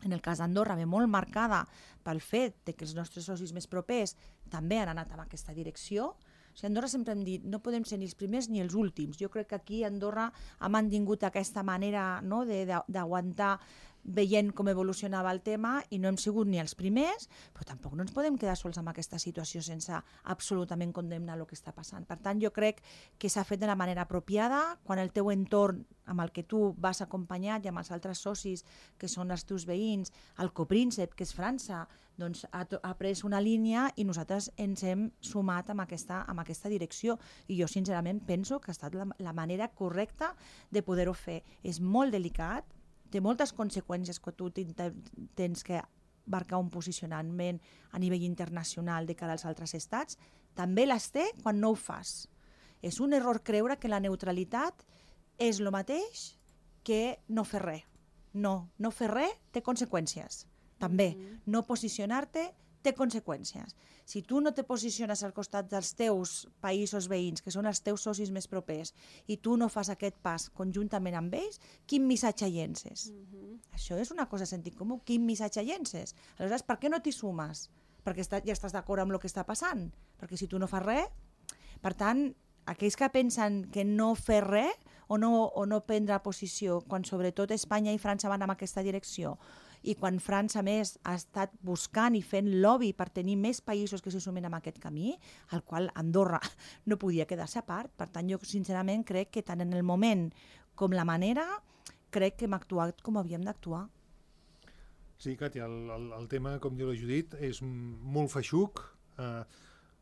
en el cas d'Andorra ve molt marcada pel fet de que els nostres socis més propers també han anat en aquesta direcció. O sigui, Andorra sempre hem dit, no podem ser ni els primers ni els últims. Jo crec que aquí Andorra ha mantingut aquesta manera, no, d'aguantar veient com evolucionava el tema, i no hem sigut ni els primers, però tampoc no ens podem quedar sols amb aquesta situació sense absolutament condemnar el que està passant. Per tant, jo crec que s'ha fet de la manera apropiada, quan el teu entorn amb el que tu vas acompanyat i amb els altres socis que són els teus veïns, el copríncep, que és França, doncs ha, ha pres una línia i nosaltres ens hem sumat amb aquesta, amb aquesta direcció, i jo sincerament penso que ha estat la, la manera correcta de poder-ho fer. És molt delicat, té moltes conseqüències que tu tens que marcar un posicionament a nivell internacional de cara als altres estats, també les té quan no ho fas. És un error creure que la neutralitat és el mateix que no fer res. No, no fer res té conseqüències. També, no posicionar-te té conseqüències. Si tu no te posiciones al costat dels teus països veïns, que són els teus socis més propers, i tu no fas aquest pas conjuntament amb ells, quin missatge llences? Mm-hmm. Això és una cosa de sentit comú, quin missatge llences? Aleshores, per què no t'hi sumes? Perquè està, ja estàs d'acord amb el que està passant. Perquè si tu no fas res... Per tant, aquells que pensen que no fer res o no, o no prendre posició, quan sobretot Espanya i França van en aquesta direcció, i quan França, a més, ha estat buscant i fent lobby per tenir més països que se sumen en aquest camí, al qual Andorra no podia quedar-se a part. Per tant, jo sincerament crec que tant en el moment com la manera, crec que hem actuat com havíem d'actuar. Sí, Càtia, el, el, el tema, com diu la Judit, és molt feixuc. Eh,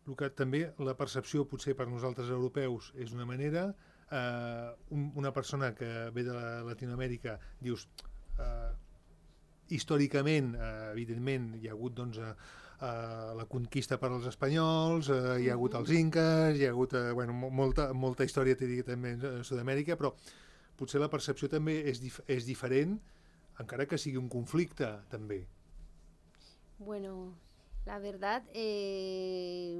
el que també la percepció, potser per nosaltres europeus, és una manera. Eh, un, una persona que ve de la Latinoamèrica, dius... Eh, històricament, eh, evidentment, hi ha hagut doncs, eh, eh, la conquista per als espanyols, eh, hi ha hagut els inques, hi ha hagut eh, bueno, molta, molta història també a Sud-amèrica, però potser la percepció també és, dif és diferent, encara que sigui un conflicte, també. Bueno, la verdad, eh,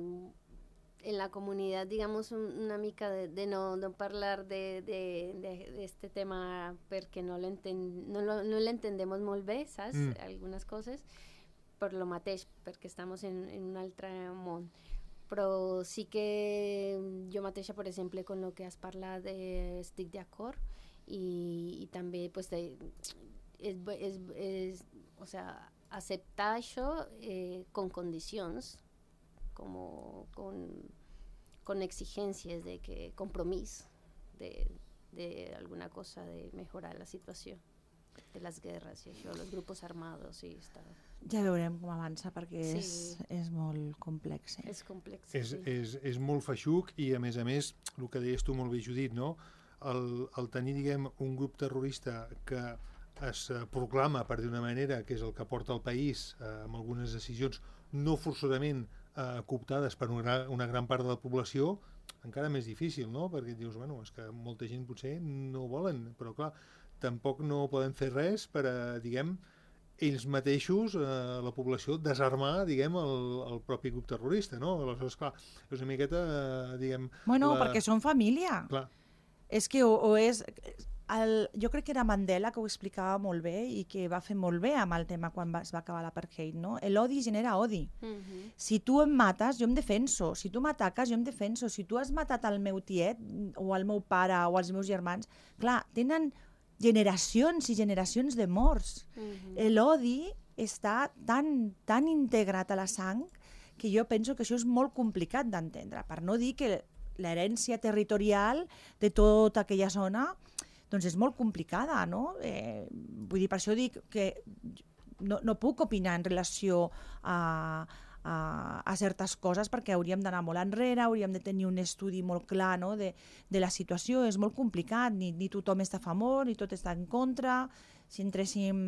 en la comunidad, digamos, una mica de, de no, no parlar de, de, de, de este tema perquè no l'entendemos no, no l'entendemos molt bé, saps? Mm. Algunes coses, per lo mateix, perquè estamos en, en un altre món. Però sí que jo mateixa, per exemple, con lo que has parlat, eh, estic d'acord, i, i també pues, de, és, és, és, o sea, acceptar això eh, con condicions, como con, con exigencias de que compromiso de, de alguna cosa de mejorar la situació de les guerres i això, els grups armados i està... Ja veurem com avança perquè sí. és, és molt complex. És complex, és, sí. És, és molt feixuc i a més a més, el que deies tu molt bé, Judit, no? el, el tenir diguem, un grup terrorista que es proclama, per dir una manera, que és el que porta el país eh, amb algunes decisions no forçosament eh, cooptades per una, una gran part de la població, encara més difícil, no? Perquè dius, bueno, és que molta gent potser no ho volen, però clar, tampoc no poden fer res per a, diguem, ells mateixos, eh, la població, desarmar, diguem, el, el propi grup terrorista, no? Aleshores, clar, és una miqueta, eh, diguem... Bueno, la... perquè són família. Clar. És que o, o és... El, jo crec que era Mandela que ho explicava molt bé i que va fer molt bé amb el tema quan va, es va acabar l'apartheid, no? L'odi genera odi. Mm-hmm. Si tu em mates, jo em defenso. Si tu m'ataques, jo em defenso. Si tu has matat el meu tiet o el meu pare o els meus germans, clar, tenen generacions i generacions de morts. Mm-hmm. L'odi està tan, tan integrat a la sang que jo penso que això és molt complicat d'entendre, per no dir que l'herència territorial de tota aquella zona doncs és molt complicada, no? Eh, vull dir, per això dic que no, no puc opinar en relació a, a, a certes coses perquè hauríem d'anar molt enrere, hauríem de tenir un estudi molt clar, no? de, de la situació. És molt complicat, ni, ni tothom està a favor, ni tot està en contra. Si entréssim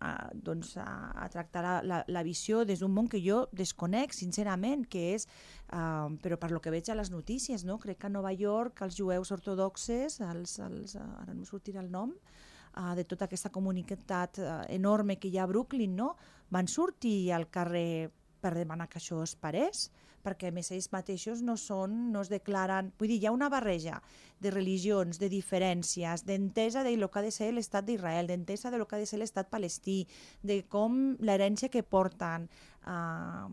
a, doncs, a, a tractar la, la, la visió des d'un món que jo desconec, sincerament, que és, uh, però per lo que veig a les notícies, no? Crec que a Nova York els jueus ortodoxes, els, els, uh, ara no em sortirà el nom, uh, de tota aquesta comunitat uh, enorme que hi ha a Brooklyn, no? Van sortir al carrer per demanar que això es parés, perquè a més ells mateixos no són, no es declaren... Vull dir, hi ha una barreja de religions, de diferències, d'entesa de lo que ha de ser l'estat d'Israel, d'entesa de lo que ha de ser l'estat palestí, de com l'herència que porten, uh,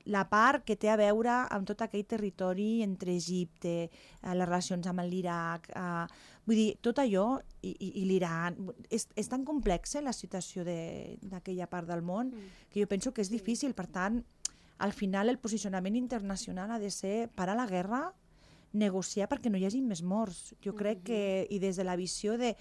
la part que té a veure amb tot aquell territori entre Egipte, uh, les relacions amb l'Iraq... Uh, vull dir, tot allò, i, i, i l'Iran... És, és tan complexa la situació d'aquella part del món que jo penso que és difícil, per tant... Al final el posicionament internacional ha de ser parar la guerra, negociar perquè no hi hagi més morts. Jo crec que, i des de la visió de...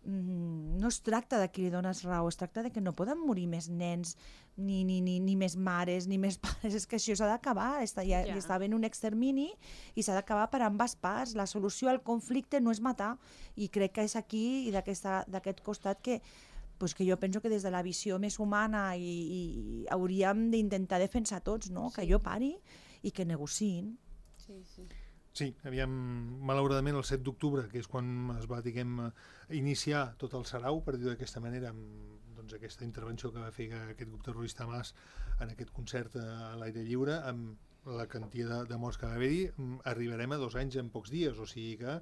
Mm, no es tracta de qui li dones raó, es tracta de que no poden morir més nens, ni, ni, ni, ni més mares, ni més pares. És que això s'ha d'acabar, està, ja, ja. està ben un extermini i s'ha d'acabar per ambes parts. La solució al conflicte no és matar, i crec que és aquí i d'aquest costat que pues que jo penso que des de la visió més humana i, i hauríem d'intentar defensar tots, no? Sí. Que jo pari i que negociïn. Sí, sí. Sí, aviam, malauradament el set d'octubre, que és quan es va, diguem, iniciar tot el sarau, per dir-ho d'aquesta manera, amb, doncs doncs, aquesta intervenció que va fer aquest grup terrorista Hamas en aquest concert a l'aire lliure, amb la quantia de, de morts que va haver-hi, arribarem a dos anys en pocs dies, o sigui que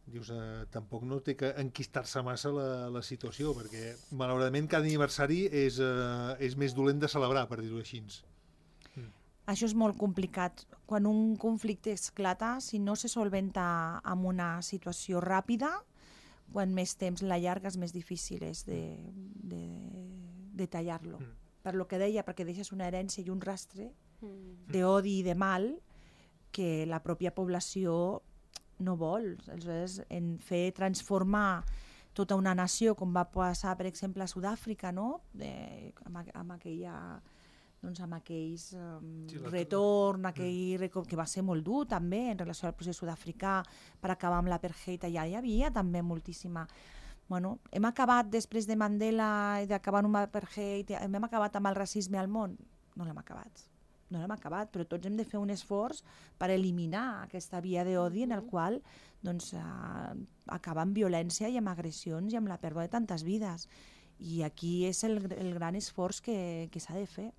dius, eh, tampoc no té que enquistar-se massa la, la situació, perquè malauradament cada aniversari és, eh, és més dolent de celebrar, per dir-ho així. Mm. Això és molt complicat. Quan un conflicte esclata, si no se solventa amb una situació ràpida, quan més temps l'allargues, més difícil és de, de, de tallar-lo. Mm. Per lo que deia, perquè deixes una herència i un rastre mm. d'odi i de mal que la pròpia població no vol. Aleshores, en fer transformar tota una nació, com va passar, per exemple, a Sud-àfrica, no? De, amb, amb aquella... doncs amb aquells um, sí, retorn, aquell record, que va ser molt dur també en relació al procés sud-africà per acabar amb l'apartheid. Allà hi havia també moltíssima... Bueno, hem acabat després de Mandela i d'acabar amb l'apartheid, hem acabat amb el racisme al món? No l'hem acabat. No l'hem acabat, però tots hem de fer un esforç per eliminar aquesta via d'odi en el qual doncs, uh, acaba amb violència i amb agressions i amb la pèrdua de tantes vides. I aquí és el, el gran esforç que, que s'ha de fer.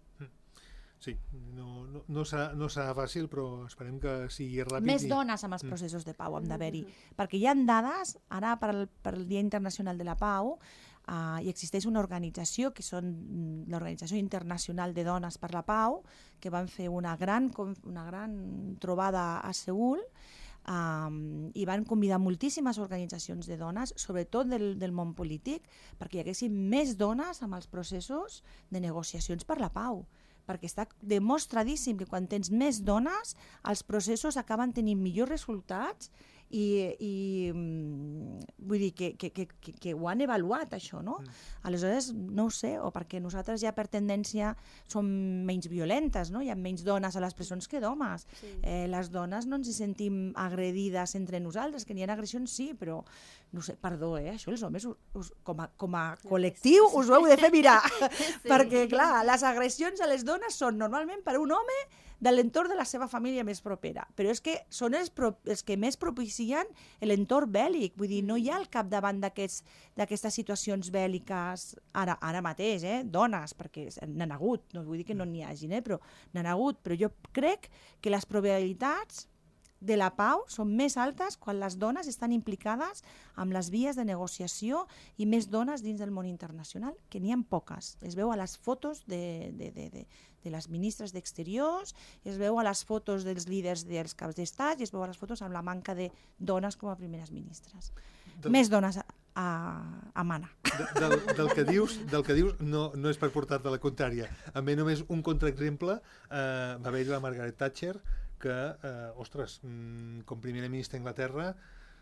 Sí, no, no, no, serà, no serà fàcil, però esperem que sigui ràpid. Més i... dones amb els processos de pau, hem d'haver-hi. Perquè hi ha dades, ara per al, per al Dia Internacional de la Pau, uh, hi existeix una organització, que són l'Organització Internacional de Dones per la Pau, que van fer una gran, una gran trobada a Seül, um, i van convidar moltíssimes organitzacions de dones, sobretot del, del món polític, perquè hi haguessin més dones amb els processos de negociacions per la pau. Perquè està demostradíssim que quan tens més dones, els processos acaben tenint millors resultats i, i vull dir que, que, que, que ho han avaluat, això, no? Mm. Aleshores, no ho sé, o perquè nosaltres ja per tendència som menys violentes, no? Hi ha menys dones a les presons que d'homes. Sí. Eh, les dones no ens hi sentim agredides entre nosaltres, que n'hi ha agressions, sí, però no sé, perdó, eh? Això els homes us, us, com, a, com a col·lectiu us ho heu de fer mirar, sí. Perquè clar, les agressions a les dones són normalment per un home de l'entorn de la seva família més propera, però és que són els, pro, els que més propicien l'entorn bèl·lic, vull dir, no hi ha al capdavant d'aquestes situacions bèl·liques ara, ara mateix, eh? Dones, perquè n'han hagut, no vull dir que no n'hi hagin, eh? Però n'han hagut, però jo crec que les probabilitats de la pau són més altes quan les dones estan implicades amb les vies de negociació i més dones dins del món internacional, que n'hi ha poques. Es veu a les fotos de, de, de, de, de les ministres d'Exteriors, es veu a les fotos dels líders dels caps d'estat i es veu a les fotos amb la manca de dones com a primeres ministres. Del... Més dones a, a, a mana. De, del, del, que dius, del que dius no, no és per portar-te la contrària. A mi només un contraexemple, eh, va haver-hi la Margaret Thatcher, que, eh, ostres, com primera ministra d'Anglaterra,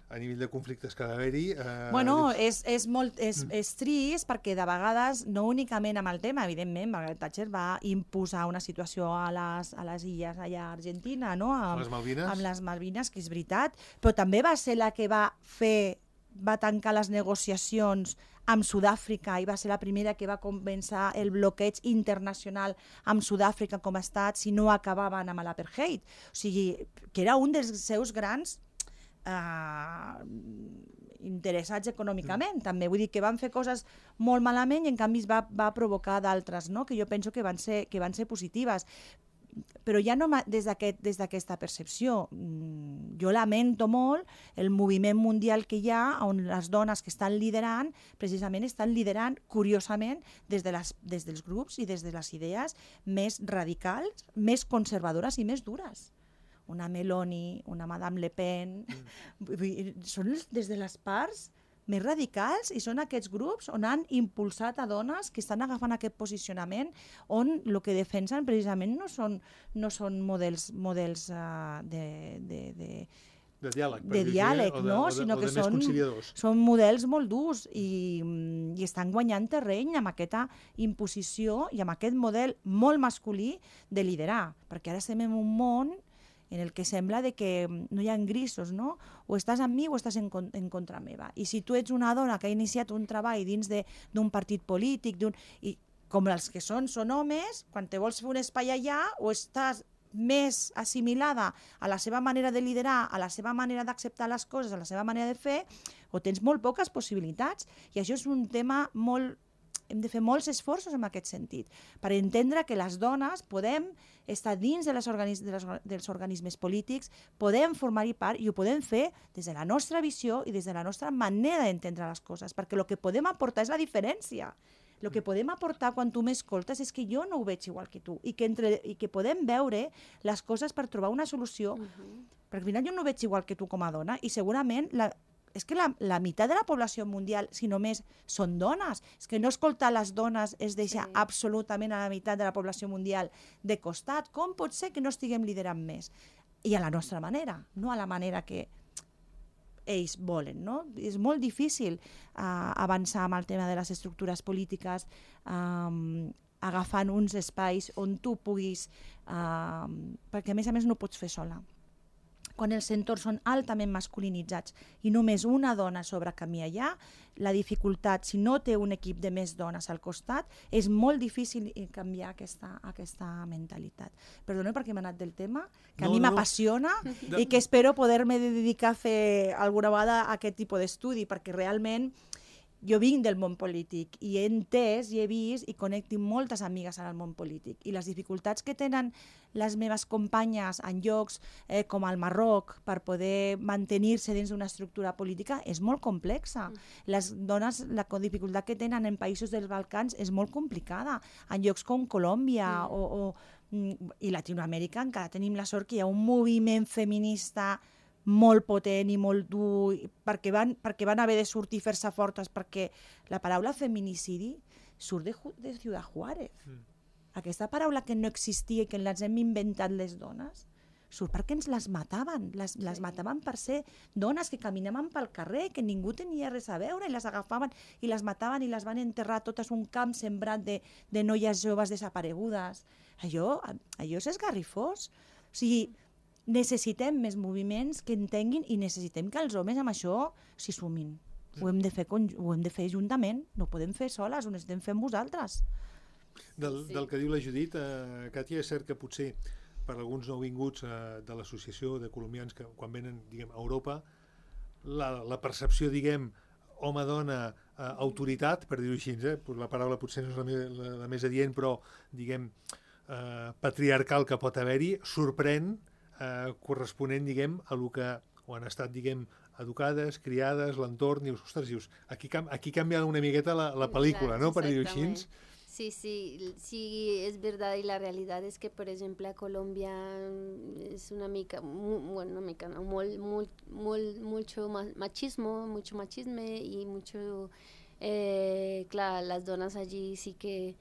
a nivell de conflictes que va haver-hi... Eh, bueno, dius... és, és, molt, és, és trist perquè de vegades, no únicament amb el tema, evidentment, Margaret Thatcher va imposar una situació a les, a les illes allà a Argentina, no? Amb, les Malvines. Amb les Malvines, que és veritat, però també va ser la que va fer, va tancar les negociacions amb Sud-àfrica i va ser la primera que va començar el bloqueig internacional amb Sud-àfrica com a estat si no acabaven amb l'apartheid. O sigui, que era un dels seus grans eh, interessats econòmicament, mm. també. Vull dir que van fer coses molt malament i en canvi va, va provocar d'altres, no? Que jo penso que van ser, que van ser positives. Però ja no des d'aquest, des d'aquesta percepció. Jo lamento molt el moviment mundial que hi ha on les dones que estan liderant, precisament estan liderant, curiosament, des, de les, des dels grups i des de les idees més radicals, més conservadores i més dures. Una Meloni, una Madame Le Pen, mm. són des de les parts més radicals i són aquests grups on han impulsat a dones que estan agafant aquest posicionament on el que defensen precisament no són, no són models, models uh, de, de, de, de diàleg, de diàleg de, no? o de, Sinó o de que més són, conciliadors. Són models molt durs i, i estan guanyant terreny amb aquesta imposició i amb aquest model molt masculí de liderar, perquè ara estem en un món en el que sembla de que no hi ha grisos, no? O estàs amb mi o estàs en, en contra meva. I si tu ets una dona que ha iniciat un treball dins d'un partit polític, i com els que són, són homes, quan te vols fer un espai allà, o estàs més assimilada a la seva manera de liderar, a la seva manera d'acceptar les coses, a la seva manera de fer, o tens molt poques possibilitats. I això és un tema molt hem de fer molts esforços en aquest sentit, per entendre que les dones podem estar dins de les organis de les, dels organismes polítics, podem formar-hi part i ho podem fer des de la nostra visió i des de la nostra manera d'entendre les coses, perquè el que podem aportar és la diferència. El que podem aportar quan tu m'escoltes és que jo no ho veig igual que tu i que, entre, i que podem veure les coses per trobar una solució. Uh-huh. Perquè al final jo no ho veig igual que tu com a dona i segurament la, és que la, la meitat de la població mundial, si només són dones, és que no escoltar les dones és deixar sí. absolutament a la meitat de la població mundial de costat. Com pot ser que no estiguem liderant més? I a la nostra manera, no a la manera que ells volen, no? És molt difícil uh, avançar amb el tema de les estructures polítiques um, agafant uns espais on tu puguis, uh, perquè a més a més no ho pots fer sola. Quan els entorns són altament masculinitzats i només una dona sobre camí allà, la dificultat, si no té un equip de més dones al costat, és molt difícil canviar aquesta, aquesta mentalitat. Perdoneu perquè m'he anat del tema, que no, a mi no. m'apassiona no. i que espero poder-me dedicar a fer alguna vegada aquest tipus d'estudi, perquè realment jo vinc del món polític i he entès i he vist i connecto moltes amigues en el món polític i les dificultats que tenen les meves companyes en llocs eh, com el Marroc per poder mantenir-se dins d'una estructura política és molt complexa. Mm. Les dones, la dificultat que tenen en països dels Balcans és molt complicada. En llocs com Colòmbia mm. o, o, i Latinoamèrica encara tenim la sort que hi ha un moviment feminista molt potent i molt dur, perquè van, perquè van haver de sortir i fer-se fortes, perquè la paraula feminicidi surt de, de Ciudad Juárez. Mm. Aquesta paraula que no existia i que ens hem inventat les dones, surt perquè ens les mataven. Les, sí. les mataven per ser dones que caminaven pel carrer, que ningú tenia res a veure, i les agafaven i les mataven i les van enterrar totes un camp sembrat de, de noies joves desaparegudes. Allò, allò és esgarrifós. O sigui, necessitem més moviments que entenguin i necessitem que els homes amb això s'hi sumin. Ho hem de fer, ho hem de fer juntament, no ho podem fer soles, ho necessitem fer amb vosaltres. Del, sí. del que diu la Judit, eh, Càtia, és cert que potser per alguns nouvinguts eh, de l'associació de colombians que quan venen diguem, a Europa, la, la percepció, diguem, home-dona, eh, autoritat, per dir-ho així, eh, la paraula potser no és la, me, la, la més adient, però, diguem, eh, patriarcal que pot haver-hi, sorprèn Eh, corresponent, diguem, a lo que o han estat, diguem, educades, criades, l'entorn, dius, ostres, dius, aquí, aquí canvia una miqueta la, la pel·lícula, claro, ¿no? Per dir-ho així. Sí, sí, sí, es verdad, y la realidad es que, por ejemplo, a Colombia es una mica, muy, bueno, una mica, no, muy, muy, muy, mucho machismo, mucho machisme y mucho, eh, claro, las donas allí sí que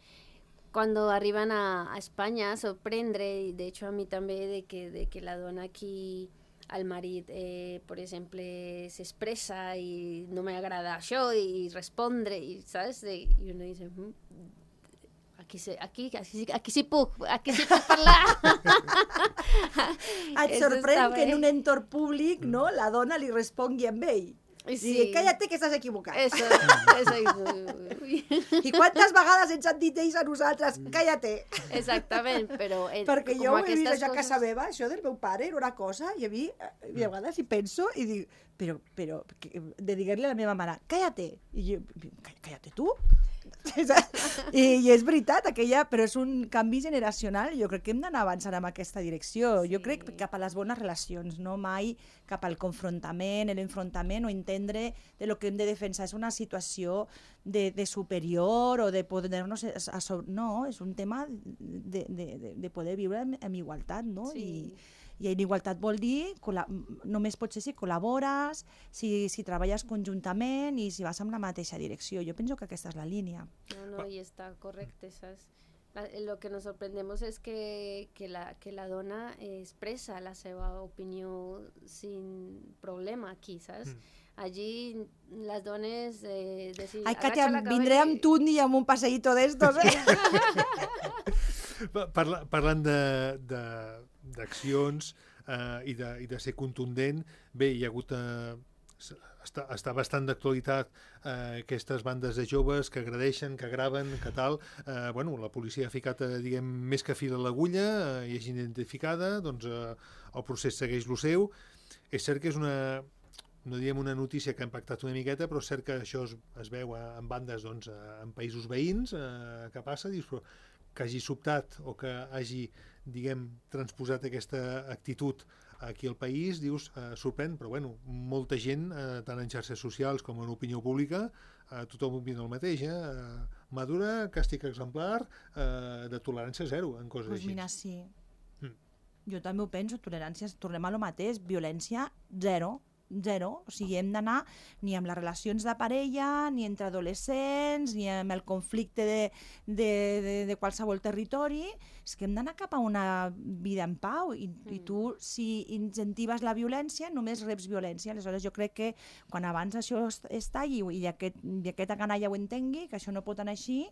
cuando arriban a, a España sorprende, i de hecho a mi també, de que, de que la dona aquí al marit, eh, per exemple, s'expressa i no m'agrada això i respondre, i saps? I uno dice, mm, aquí, se, aquí, aquí, aquí sí puc, aquí sí puc parlar. Et sorprèn que en un entorn públic, no, la dona li respongui amb ell. Sí. I cállate que estàs equivocat. Eso, eso, eso. I quantes vegades ens han dit ells a nosaltres, cállate. Exactament, però... Eh, perquè jo ho he vist coses... a casa meva, això del meu pare era una cosa, i a mi, a vegades hi penso i dic, però, però, de dir-li a la meva mare, cállate. I jo, cállate tu? I, i és veritat, aquella, però és un canvi generacional. Jo crec que hem d'anar avançant en aquesta direcció. Sí. Jo crec cap a les bones relacions, no mai cap al confrontament, l'enfrontament o entendre de lo que hem de defensar és una situació de, de superior o de poder-nos... A, a, no, és un tema de, de, de, de poder viure en, en igualtat, no? Sí. I, I en igualtat vol dir, només pot ser si col·labores, si, si treballes conjuntament i si vas en la mateixa direcció. Jo penso que aquesta és la línia. No, no, i està correcte, saps? La, lo que nos sorprendemos es que, que, la, que la dona expresa la seva opinió sin problema aquí, saps? Mm. Allí les dones... Eh, decir, Ai, Katia, vindré amb tu ni amb un passeïto d'estos, eh? Parla, parlant d'accions eh, i, de, i de ser contundent, bé, hi ha hagut... Eh, està, està bastant d'actualitat eh, aquestes bandes de joves que agredeixen, que graven, que tal. Eh, bueno, la policia ha ficat, eh, diguem, més que fil a l'agulla, eh, hi ha gent identificada, doncs eh, el procés segueix lo seu. És cert que és una... no diem una notícia que ha impactat una miqueta, però és cert que això es, es veu en bandes, doncs, en països veïns, eh, que passa, dius, però que hagi sobtat o que hagi, diguem, transposat aquesta actitud aquí al país, dius, eh, sorprèn, però bueno, molta gent, eh, tant en xarxes socials com en opinió pública, eh, tothom opina el mateix, eh? Madura, càstig exemplar, eh, de tolerància zero, en coses Pues així. mira, sí. Mm. Jo també ho penso, tolerància, tornem a lo mateix, violència zero, zero, o sigui, hem d'anar ni amb les relacions de parella, ni entre adolescents, ni amb el conflicte de, de, de, de qualsevol territori, és que hem d'anar cap a una vida en pau, i, mm. i tu, si incentives la violència, només reps violència. Aleshores, jo crec que quan abans això es, es talli i aquest, i aquesta canalla ho entengui, que això no pot anar així,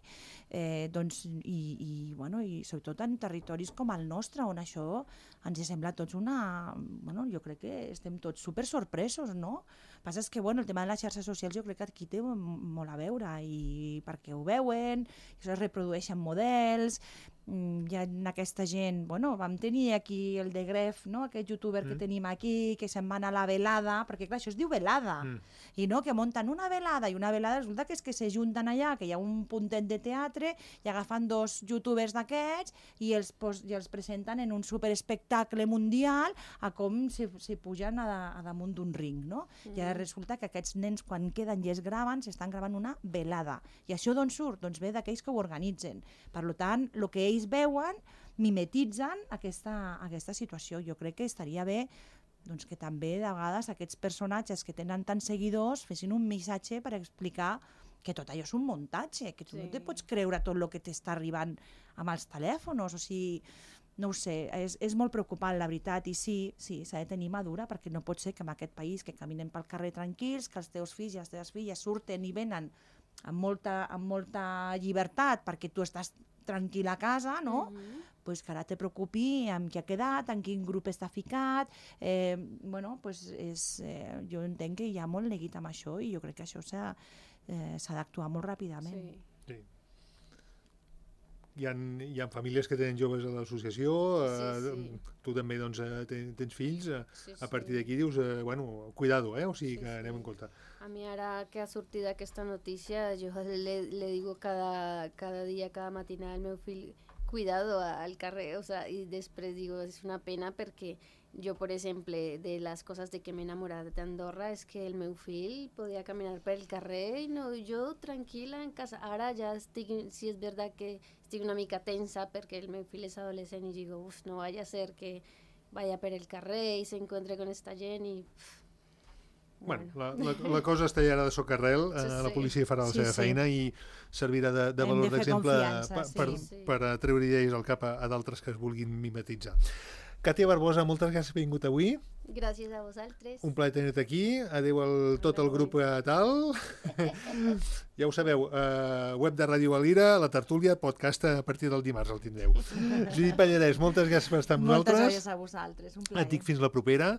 eh, doncs, i, i, bueno, i sobretot en territoris com el nostre, on això ens sembla tots una... Bueno, jo crec que estem tots super sorpresos, no? El que passa és que, bueno, el tema de les xarxes socials jo crec que aquí té molt a veure, i perquè ho veuen, i això es reprodueixen models, hi ha aquesta gent, bueno, vam tenir aquí el de Gref, no? Aquest youtuber mm. que tenim aquí, que se'n va anar a la velada, perquè clar, això es diu velada, mm. i no, que munten una velada, i una velada resulta que és que se junten allà, que hi ha un puntet de teatre, i agafan dos youtubers d'aquests, i els, pos, i els presenten en un superespectacle mundial, a com se, se pugen a, a damunt d'un ring, no? Mm. I ara resulta que aquests nens, quan queden i es graven, s'estan gravant una velada. I això d'on surt? Doncs ve d'aquells que ho organitzen. Per tant, el que ells veuen, mimetitzen aquesta, aquesta situació. Jo crec que estaria bé doncs, que també de vegades aquests personatges que tenen tants seguidors fessin un missatge per explicar que tot allò és un muntatge, que tu sí. no te pots creure tot el que t'està arribant amb els telèfons, o sigui, no ho sé, és, és molt preocupant, la veritat, i sí, sí, s'ha de tenir madura, perquè no pot ser que en aquest país que caminen pel carrer tranquils, que els teus fills i les teves filles surten i venen amb molta, amb molta llibertat perquè tu estàs tranquil a casa, no? Mm-hmm. Pues que ara te preocupi amb qui ha quedat, en quin grup està ficat, eh, bueno, pues és, eh, jo entenc que hi ha molt neguit amb això, i jo crec que això s'ha eh, s'ha d'actuar molt ràpidament. Sí. Sí. Hi ha, hi ha famílies que tenen joves a l'associació, eh, sí, sí. tu també doncs, ten, tens fills, eh, sí, sí. A partir d'aquí dius, eh, bueno, cuidado, eh? O sigui sí, que anem sí. en compte. A mi ara que ha sortit aquesta notícia, jo le, le digo cada, cada dia, cada matinada al meu fill, cuidado al carrer, o sea, i després digo, és una pena perquè jo, per exemple, de les coses de que m'he enamorat d'Andorra és que el meu fill podia caminar pel carrer i no, jo tranquil·la en casa. Ara ja estic, si és veritat que estic una mica tensa perquè el meu fill és adolescent i digo, uf, no vaya a ser que vaya per el carrer i se encuentre con esta gent i... Uf, bueno, la, la, la cosa està ja de socarrel, eh, sí, sí. La policia farà la sí, seva sí. feina i servirà de, de valor d'exemple per, sí, per, sí. per treure idees al cap a, a d'altres que es vulguin mimetitzar. Càtia Barbosa, moltes gràcies per haver vingut avui. Gràcies a vosaltres. Un plaer tenir-te aquí. Adéu a tot el grup tal. Ja ho sabeu, eh, web de Ràdio Valira, la tertúlia, podcast a partir del dimarts el tindreu. Judit Pallarès, moltes gràcies per estar amb moltes nosaltres. Moltes gràcies a vosaltres, un plaer. Et dic fins la propera.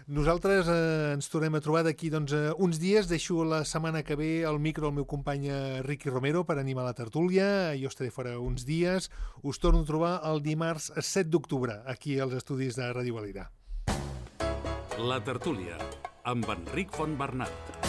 Nosaltres eh, ens tornem a trobar d'aquí doncs, eh, uns dies. Deixo la setmana que ve al micro el meu company Riqui Romero per animar la tertúlia. Jo estaré fora uns dies. Us torno a trobar el dimarts set d'octubre aquí als estudis de Ràdio Valira. La tertúlia, amb Enric Fontbernat.